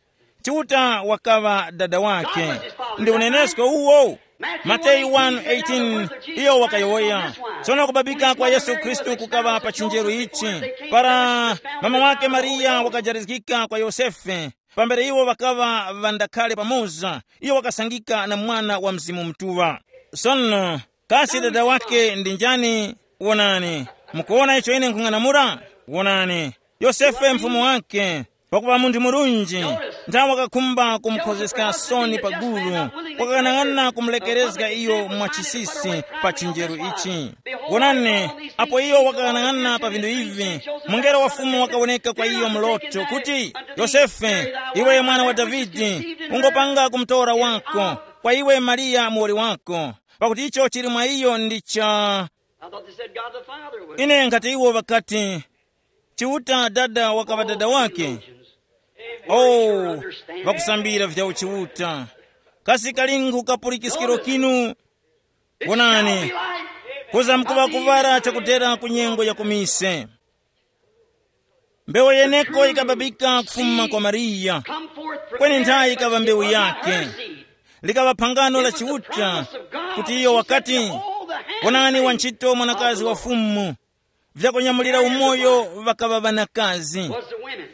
Chiuta wakaŵa dada wake. Ndi unenesko uwo. Mateyu one eighteen, iyo wakayowoya. Tsono kubabika kwa Yesu Khristu kukaŵa pa chinjeru ichi. Para mama wake Mariya wakajarizgika kwa Yosefe, pambere iwo ŵakaŵa ŵandakhale pamoza, iyo wakasangika na mwana wa Mzimu Mutuŵa. Sono, kasi dada wake ndi njani? Wonani, mukuwona icho ine nkhung'anamula? Wonani, Yosefe mfumu wake, pakuŵa munthu murunji, nthawi wakakhumba kumukhozeska soni pa gulu, wakakanang'ana kumulekerezga iyo mwachisisi pa chinjeru ichi. Wonani, apo iyo wakakanang'ana pa vinthu ivi, mungelo wa Fumu wakawoneka kwa iyo muloto kuti, Yosefe, iwe mwana wa Davide, ungopanga kumutora wako, kwa iwe Mariya muwoli wako, pakuti icho chili mwa iyo ndi cha. I thought they said God the Father was. Ine nkhati iwo ŵakati, Chiuta dada wakaŵa dada wake. Oh, ŵakusambira vya uchiuta. Kasi kali nkhu kapulikiskiro kinu? Wonani, kuza mkuŵa kuvara chakutera ku nyengo ya kumise. Mbewu yeneko yikababika kufuma kwa Mariya, kweni nthayi yikaŵa mbewu yake. Likaŵa phangano la Chiuta, kuti iyo wakati, wonani wantchito mwanakazi wa Fumu, vyakunyamulira umoyo ŵakaŵa ŵanakazi.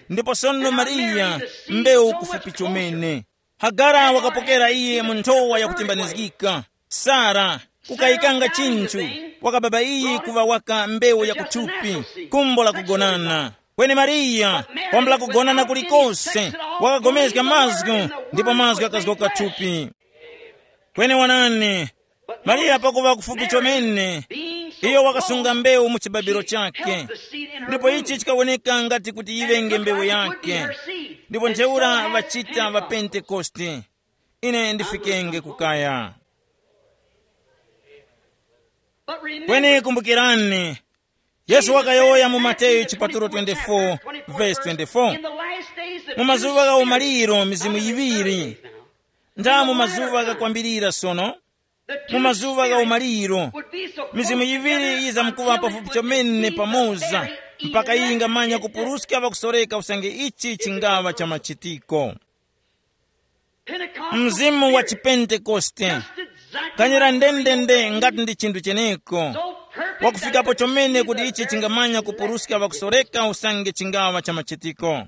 Ndipo sono Mariya, mbewu kufupi chomene. Hagara wakapokera iye mu nthowa yakutimbanizgika. Sara, kukayikanga chinthu, wakababa iyi kuŵa waka mbewu ya kuthupi, kumbo la kugonana. Kweni Mariya, kwambula kugonana kulikose, wakagomezga mazgu, ndipo mazgu akazgoka thupi. Kweni wonani, Mariya pakuŵa kufupi chomene, iyo wakasunga mbewu mu chibabiro chake. Ndipo ichi chikawoneka ngati kuti yiŵenge mbewu yake. Ndipo ntheura ŵachita ŵa Pentekoste. Ine ndifikenge kukaya. Kweni kumbukirani, Yesu wakayowoya mu Mateyu chipatulo twenty-four, verse twenty-four. Mu mazuŵa gha umaliro mizimu yiŵiri. Nda mu mazuŵa ghakwambirira sono, mu mazuŵa gha umaliro, mizimu yiŵiri yizamkuŵa pafupi chomene pamoza, mpaka yingamanya kupuruska ŵakusoreka usange ichi chingaŵa cha machitiko. Mzimu wa chipentekoste, kanyera ndendende ngati ndi chinthu cheneko, wakufikapo chomene kuti ichi chingamanya kupuruska ŵakusoreka usange chingaŵa cha machitiko.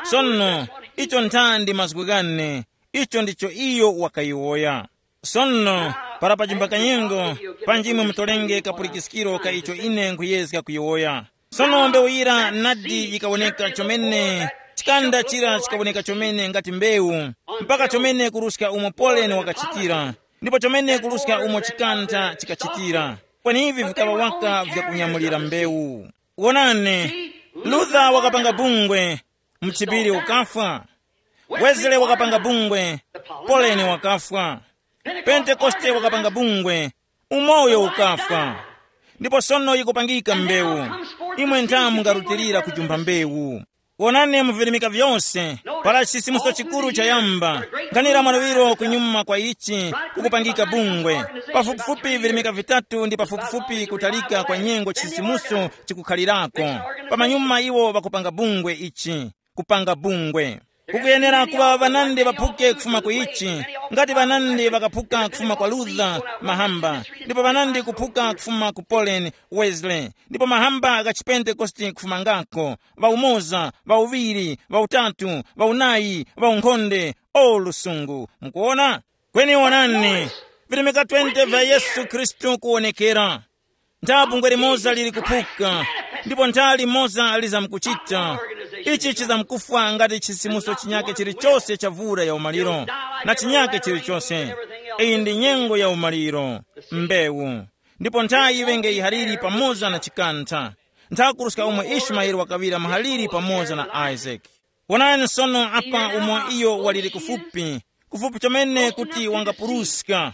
Sono, icho nthandi mazgu ghane, icho ndicho iyo wakayowoya. Sono, para pachimba kanyengo, panji imwe mutolenge kapulikiskiro ka icho ine nkhuyezga kuyowoya. Sono mbewu yira nadi yikawoneka chomene, chikanda chira chikawoneka chomene ngati mbewu, mpaka chomene kuruska umo poleni wakachitira, ndipo chomene kuruska umo chikanda chikachitira. Kweni ivi vikaŵa waka vyakunyamulira mbewu. Wonani, Luther wakapanga bungwe, mchipiri ukafwa. Wesley wakapanga bungwe, poleni wakafwa. Pentekoste wakapanga bungwe, umoyo ukafwa. Ndipo sono yikupangika mbewu. Imwe ntha mungarutilira kujumba mbewu. Wonani mu virimika vyose, para chisimuso chikuru chayamba, nkhanira mwaluŵiro kunyuma kwa ichi, kukupangika bungwe. Pafupifupi virimika vitatu ndi pafupifupi kutalika kwa nyengo chisimuso chikukhalirako. Pamanyuma iwo ŵakupanga bungwe ichi, kupanga bungwe. Kukuyenera kuŵa ŵanandi ŵaphuke kufuma ku ichi, ngati ŵanandi ŵakaphuka kufuma kwa Luther mahamba, ndipo ŵanandi kuphuka kufuma ku Pauline, Wesley, ndipo mahamba agha chipentekoste kufumangako, ŵaumoza, ŵauŵiri, ŵautatu, ŵaunayi, ŵaunkhonde, o lusungu. Mukuona? Kweni wonani, virimika twenty vya Yesu Khristu kuwonekera. Ntha bungwe limoza lili kuphuka, ndipo ntha limoza lizamkuchita. Ichi chizamkufwa ngati chisimuso chinyake chilichose cha vura ya umaliro, na chinyake chilichose. Iyi ndi nyengo ya umaliro, mbewu. Ndipo ntha yiŵenge yihaliri pamoza na chikantha. Ntha kuruska umo Ismaeli wakaŵira muhaliri pamoza na Isaac. Wonani sono apa umo iyo waliri kufupi, kufupi chomene kuti wangapuruska.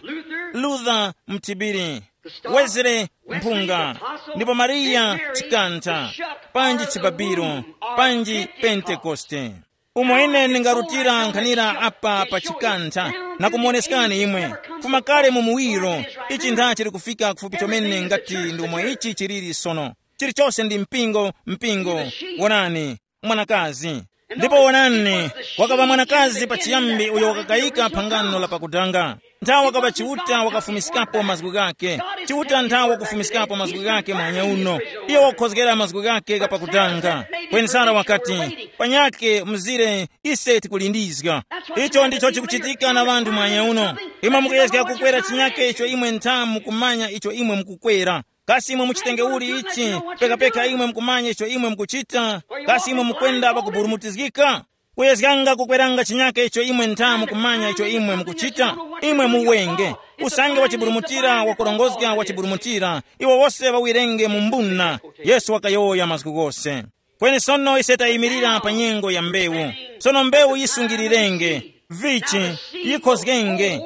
Luther mthibiri, Wesley mphunga, ndipo Mariya chikantha, panji chibabiro, panji Pentekoste. Umo ine ndingarutira nkhanira apa pa chikantha na kumuoneskani imwe, fuma kale mu muwiro, ichi ntha chili kufika kufupi chomene ngati ndi umo ichi chiliri sono. Chilichose ndi mpingo, mpingo. Wonani, mwanakazi. Ndipo wonani, wakaŵa mwanakazi pachiyambi uyo wakakayika phangano la pakutanga. Nthawi wakaŵa Chiuta wakafumiskapo mazgu ghake. Chiuta nthawi wakufumiskapo mazgu ghake muhanya uno. Iyo wakukhozgera mazgu ghake ghapakutanga. Kweni Sara wakati, panyakhe mzire, ise tikulindizga. Icho ndicho chikuchitika na ŵanthu muhanya uno. Imwe mukuyezga kukwera chinyake icho imwe nthamu kumanya icho imwe mukukwera. Kasi imwe muchitenge uli ichi? Pekapeka imwe mukumanya icho imwe mukuchita? Kasi imwe mukwenda pakuburumutizgika? Kuyezganga kukweranga chinyake icho imwe ntha mukumanya icho imwe mukuchita. Imwe muwenge. Usange wachiburumutira wakurongozga wachiburumutira, iwo wose ŵawirenge mu mbuna. Yesu wakayowoya mazgu ghose. Kweni sono ise tayimirira pa nyengo ya mbewu. Sono mbewu yisungirirenge, vichi, yikhozgenge,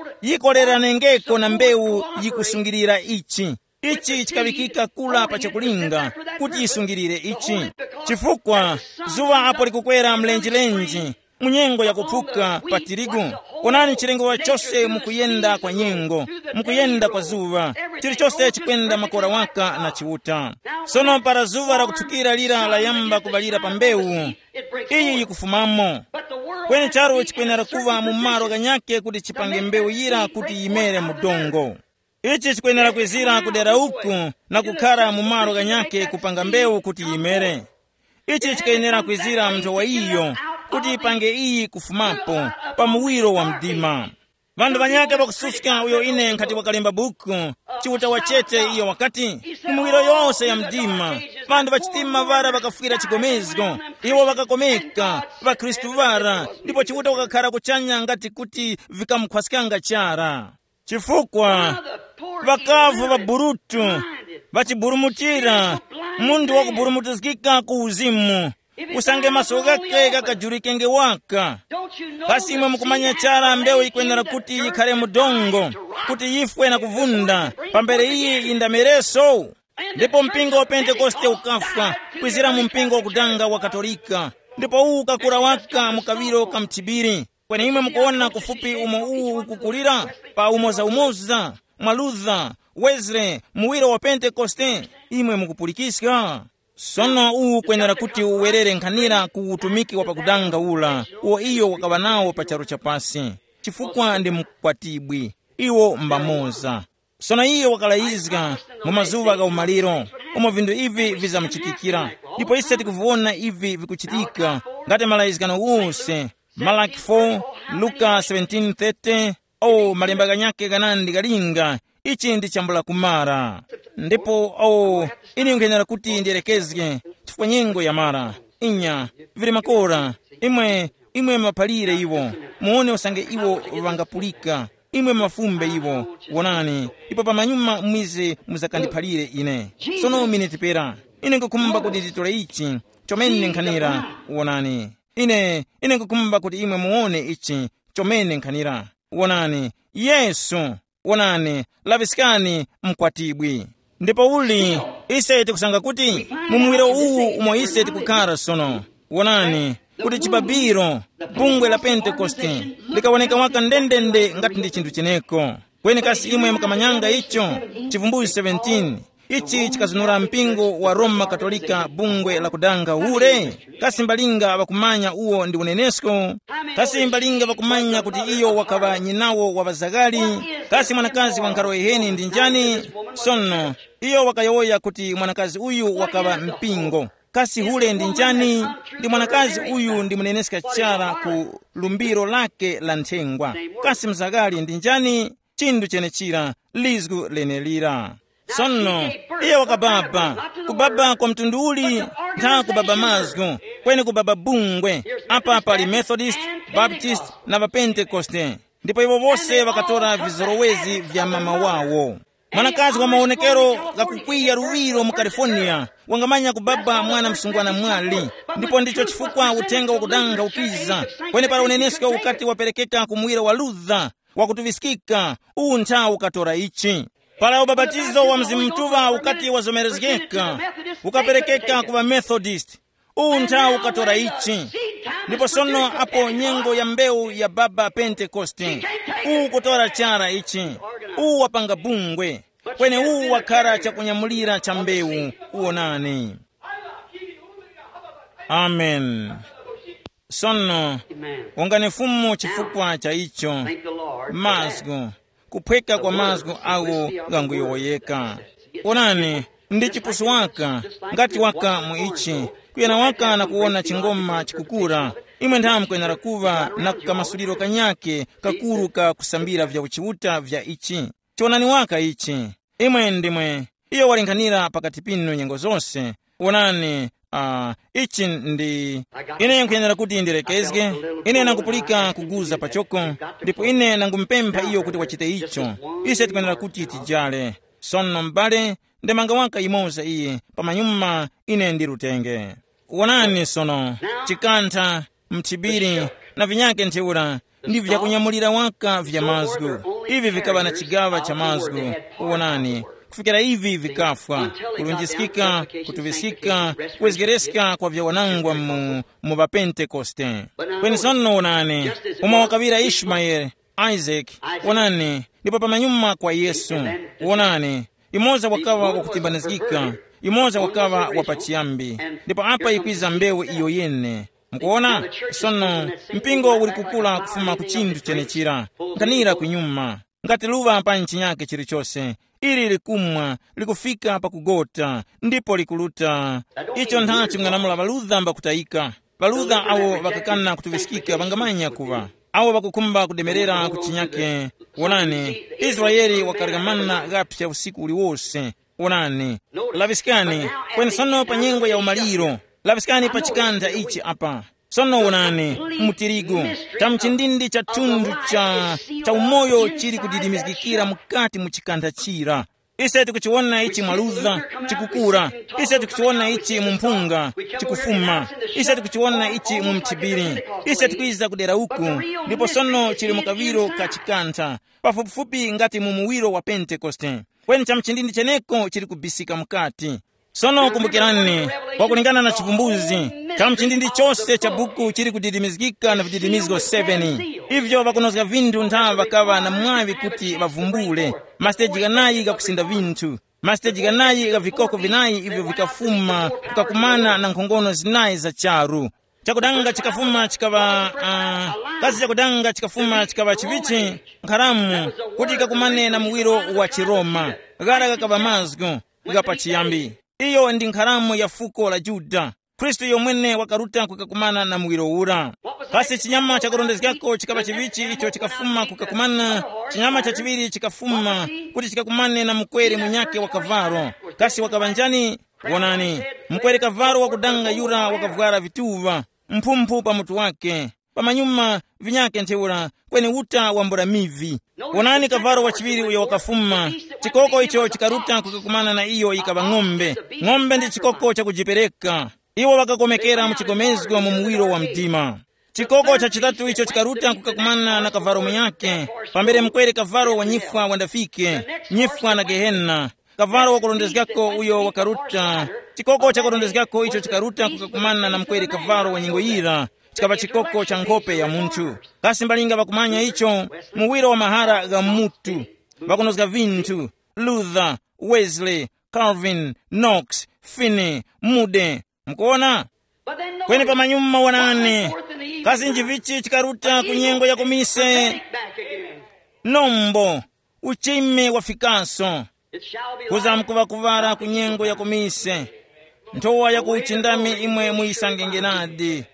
yikoleranengeko na mbewu yikusungirira ichi. Ichi chikaŵikika kula pa chakulinga kuti yisungirire ichi. Chifukwa zuŵa apo likukwera mlenjilenji, mu nyengo yakuphuka pa tirigu, onani chilengewa chose mukuyenda kwa nyengo, mukuyenda kwa zuŵa, chilichose chikwenda makora waka na Chiuta. Sono para zuŵa lakuthukira lira layamba kuŵalira pa mbewu, iyi yikufumamo. Kweni charu chikwenera kuŵa mu malo ghanyakhe kuti chipange mbewu yira kuti yimere mu dongo. Ichi chikwenera kwizira ku dera uku na kukhara mu malo ghanyakhe kupanga mbewu kuti yimere. Ichi chikwenera kwizira mu nthowa iyo kuti ipange iyi kufumapo pa muwiro wa mdima. Ŵanthu ŵanyakhe ŵakususka uyo ine nkhati wakalemba buku, Chiuta wachete iyo wakati, mu miwiro yose ya mdima, ŵanthu ŵachitima ŵara ŵakafwira chigomezgo, iwo ŵakakomeka, ŵakhristu ŵara, ndipo Chiuta wakakhara kuchanya ngati kuti vikamukhwaskanga chara. Chifukwa ŵakavu ŵaburutu, ŵachiburumutira, munthu wakuburumutizgika ku uzimu, usange maso ghakhe ghakajurikenge waka. Kasi imwe mukumanya chara mbewu yikwenera kuti yikhare mu dongo, kuti yifwe na kuvunda, pambere iyi yindamereso? Ndipo mpingo wa Pentekoste ukafwa, kwizira mu mpingo wakudanga wa Katolika, ndipo uwu ukakura waka mu kaŵiro ka mthibiri. Kweni imwe mukuwona kufupi umo uwu ukukulira, pa umozaumoza, mwa Luther, Wesley, muwiro wa Pentekoste, imwe mukupulikiska? Sono uwu kwenera kuti uwerere nkhanira ku utumiki wa pakudanga ula, uwo iyo wakaŵa nawo pa charu cha pasi, chifukwa ndi mukwatibwi, iwo mbamoza. Sono iye wakalayizga mu mazuŵa gha umaliro, umo vinthu ivi vizamuchitikira, ndipo ise tikuviwona ivi vikuchitika ngati malayizgano ghose, Malaki four, Luka seventeen thirty. O malemba ghanyakhe ghanandi ghalinga, ichi ndi chambula kumara. Ndipo o, ine nkwenera kuti ndiyerekezge, chifukwa nyengo yamara. Inya, vili makora. Imwe, imwe maphalire iwo, muone usange iwo ŵangapulika. Imwe mafumbe iwo, wonani, ipo pamanyuma mwize muzakandiphalire ine. Sono miniti pera, ine nkukhumba kuti nditole ichi chomene nkhanira. Wonani, ine ine nkukhumba kuti imwe muone ichi chomene nkhanira. Wonani, Yesu. Wonani, laŵiskani mkwatibwi. Ndipo uli, ise tikusanga kuti mu muwiro uwu umo ise tikukhara sono, wonani, kuti chibabiro, bungwe la Pentekoste, likawoneka waka ndendende ngati ndi chinthu cheneko. Kweni kasi imwe mukamanyanga icho? Chivumbuzi seventeen, ichi chikazunura mpingo wa Roma Katolika bungwe la kudanga ule. Kasi mbalinga ŵakumanya uwo ndi unenesko? Kasi mbalinga ŵakumanya kuti iyo wakaŵa nyinawo wa ŵazaghali? Kasi mwanakazi wa nkharo yiheni ndi njani? Sono, iyo wakayowoya kuti mwanakazi uyu wakaŵa mpingo. Kasi hule ndi njani? Ndi mwanakazi uyu ndi muneneska chara ku lumbiro lake la nthengwa. Kasi mzaghali ndi njani? Chindu chenechira, lizgu lenelira. Sono, iye wakababa, kubaba kwa mtundu uli, ntha kubaba mazgu, kweni kubaba bungwe. Apa pali Methodist, Baptist, na Pentekoste. Ndipo iwo wose wakatora vizorowezi vya mama wawo. Mwanakazi wa maonekero ghakukwiya luwiro mu California wangamanya kubaba mwana msungwana mwali. Ndipo ndicho chifukwa uthenga wakudanga ukiza, kweni para unenesko ukati waperekeka ku muwiro wa Luther, wakutuŵiskika, uwu nthawi ukatora ichi. Para ubapatizo wa Mzimu Mutuŵa ukati wazomerezgeka, ukaperekeka ku ŵaMethodist, uwu nthawi ukatora ichi. Ndipo sono apo nyengo ya mbewu ya baba Pentekoste, uwu kutora chara ichi, uwu wapanga bungwe, kweni uwu wakhara chakunyamulira cha mbewu. Uwonani. Amen. Sono, wongani Fumu chifukwa cha icho. Mazgu, kuphweka kwa mazgu awo ghanguyowoyeka. Onani, ndi chipusu waka, ngati waka mu ichi, kuyana waka na kuwona chingoma chikukura. Imwe nthawe mukwenera kuŵa na kamasuliro kanyake kakuru ka kusambira vya uchiuta vya ichi. Chonani waka ichi. Imwe ndimwe, iyo walinkhanira pakati pinu nyengo zose. Wonani, uh, ichi ndi, ine nkhuyenera kuti ndirekezge. Ine nangupulika kuguza pachoko, ndipo ine nangumupempha iyo kuti wachite icho. Ise tikwenera kuti tijale. Sono m'bale, ndemanga waka imoza iyi pamanyuma, ine ndirutenge. Wonani sono, chikantha, mthibiri, na vinyake ntheura, ndi vyakunyamulira waka vya mazgu. Ivi vikaŵa na chigaŵa cha mazgu. Wonani, kufikira ivi vikafwa, kulunjiskika, kutuŵiskika, kuwezgereska kwa vyawanangwa mu, mu ŵapentekoste. Kweni sono wonani, umo wakaŵira Ishimayeli, Isaac, wonani, ndipo pamanyuma kwa Yesu. Wonani, imoza wakaŵa wakutimbanizgika, imoza wakaŵa wapachiyambi, ndipo apa ikwiza mbewu iyo yene. Mukuona? Sono, mpingo uli kukula kufuma ku chinthu chenechira, nkhanira kunyuma, ngati luŵa pa nchinyake chilichose, ili likumwa, likufika pakugota, ndipo likuluta. Icho nthachi mng'anamula ŵaludha mbakutayika. Ŵaludha awo ŵakakana kutuŵiskika ŵangamanya kuŵa, awo ŵakukhumba kudemerera ku chinyake. Wonani, Israele wakaryakamana ghaphya usiku uliwose. Wonani, laŵiskani, kweni sono pa nyengo ya umaliro, laŵiskani pa chikantha ichi apa. Sono wonani, mu tirigu, cha mchindindi cha thundu cha, cha umoyo chili kudidimizgikira mukati mu chikantha chira. Ise tikuchiwona ichi mwaluza, chikukura. Ise tikuchiwona ichi mu mphunga, chikufuma. Ise tikuchiwona ichi mu mthibiri. Ise tikwiza kudera uku, ndipo sono chili mu kaŵiro ka chikantha, pafupifupi ngati mu muwiro wa Pentekoste. Kweni cha mchindindi cheneko chili kubisika mukati. Sono kumbukirani, pakulingana na chivumbuzi, cha mchindindi chose cha buku chili kudidimizgika na vididimizgo seven. Ivyo ŵakunozga vinthu ntha ŵakaŵa na mwaŵi kuti ŵavumbule. Masiteji ghanayi ghakusinda vinthu. Masiteji ghanayi gha vikoko vinayi ivyo vikafuma kukakumana na nkhongono zinayi za charu. Chakudanga chikafuma chikaŵa, uh, kasi chakudanga chikafuma chikaŵa chivichi, nkharamu, kuti kakumane na muwiro wa chiroma. Ghara ghakaŵa mazgu gha pachiyambi. Iyo ndi nkharamu ya fuko la Yuda. Khristu yomwene wakaruta kukakumana na muwiro ura. Kasi chinyama chakurondezgako chikaŵa chivichi icho chikafuma kukakumana? Chinyama chachiŵiri chikafuma kuti chikakumane na mukwere munyakhe wa kavalo. Kasi wakaŵa njani? Wonani, Mkwere kavalo wakudanga yura wakavwara vituŵa, mphumphu pa mutu wake, pamanyuma vinyake ntheura, kweni uta wambula mivi. Wonani kavalo wachiŵiri uyo wakafuma, chikoko icho chikaruta kukakumana na iyo yikaŵa ng'ombe. Ng'ombe ndi chikoko chakujipereka. Iwo ŵakakomekera mu chigomezgo mu muwiro wa mdima. Chikoko cha chitatu icho chikaruta kukakumana na kavalo munyakhe, pambere mkwere kavalo wa nyifwa wandafike, nyifwa na gehena. Kavalo wakurondezgako uyo wakaruta, chikoko chakurondezgako icho chikaruta kukakumana na mkwere kavalo wa nyengo yira, chikaŵa chikoko cha nkhope ya munthu. Kasi mbalinga ŵakumanya icho? Muwiro wa mahara gha mutu. Ŵakunozga vinthu, Luther, Wesley, Calvin, Knox, Finney, Moody. Mukuona? Kweni pamanyuma wanane, kasi njivichi chikaruta ku nyengo ya kumise? Nombo, uchime wafikaso. Kuza mkuŵakuŵara ku nyengo ya kumise. Nthowa ya kuchindami imwe muyisangenge nadi.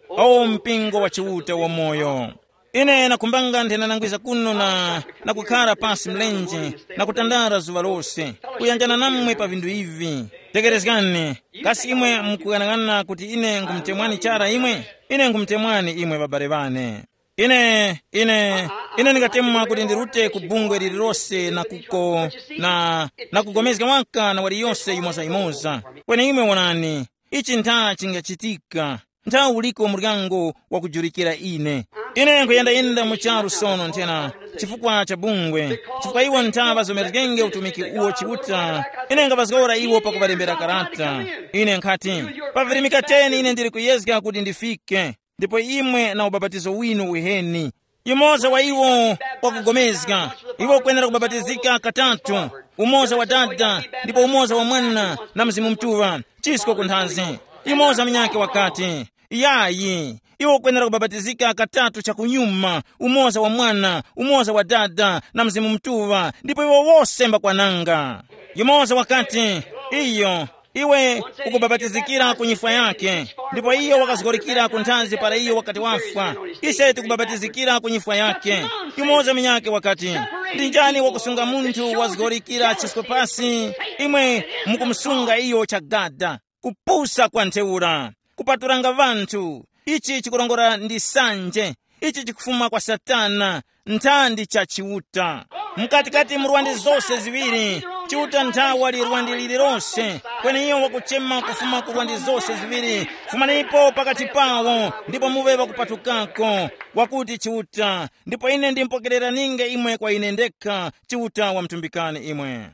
O mpingo wa Chiuta wamoyo, ine nakhumbanga nthenanangwiza kuno na, na kukhara pasi mlenje, na kutandara zuŵa lose, kuyanjana namwe pa vinthu ivi. Tekerezgani, kasi imwe mukuyang'ana kuti ine nkhumutemwani chara imwe? Ine nkhumutemwani imwe ŵabale ŵane. Ine, ine, ine ndingatemwa kuti ndirute ku bungwe lililose na kuko, na, na kugomezga waka na waliyose yimoza-yimoza. Kweni imwe wonani, ichi ntha chingachitika. Ntha uliko muryango wakujulikira ine. Ine nkuyendayenda mu charu sono nthena, chifukwa cha bungwe, chifukwa iwo ntha ŵazomerezgenge utumiki uwo Chiuta. Ine ngapazgora iwo pakuŵalembera karata. Ine nkhati, pavirimika teni ine ndili kuyezga kuti ndifike. Ndipo imwe na ubapatizo winu uheni. Yumoza wa iwo wakugomezga, iwo ukwenera kubapatizika katatu, umoza wa Dada, ndipo umoza wa Mwana na Mzimu Mutuŵa. Chisko kunthazi. Yumoza munyakhe wakati, yayi, iwo ukwenera kubapatizika katatu chakunyuma, umoza wa Mwana, umoza wa Dada na Mzimu Mutuŵa, ndipo iwo wose mbakwananga. Yumoza wakati, iyo, iwe ukubapatizikira ku nyifwa yake, ndipo iyo wakazgorikira ku nthazi para iyo wakati wafwa. Ise tikubapatizikira ku nyifwa yake. Yumoza munyakhe wakati, ndi njani wakusunga munthu wazgorikira chisko pasi? Imwe mukumusunga iyo chagada. Kupusa kwa ntheura, kupaturanga ŵanthu. Ichi chikurongora ndi sanje. Ichi chikufuma kwa Satana, nthandi cha Chiuta. Mkatikati mu rwandi zose ziŵiri, Chiuta nthawa li rwandi lililose, kweni iyo wakuchema kufuma ku rwandi zose ziŵiri, fumanipo pakati pawo, ndipo muŵe ŵakupatukako, wakuti Chiuta, ndipo ine ndimpokereraninge imwe kwa ine ndekha, Chiuta wamtumbikani imwe.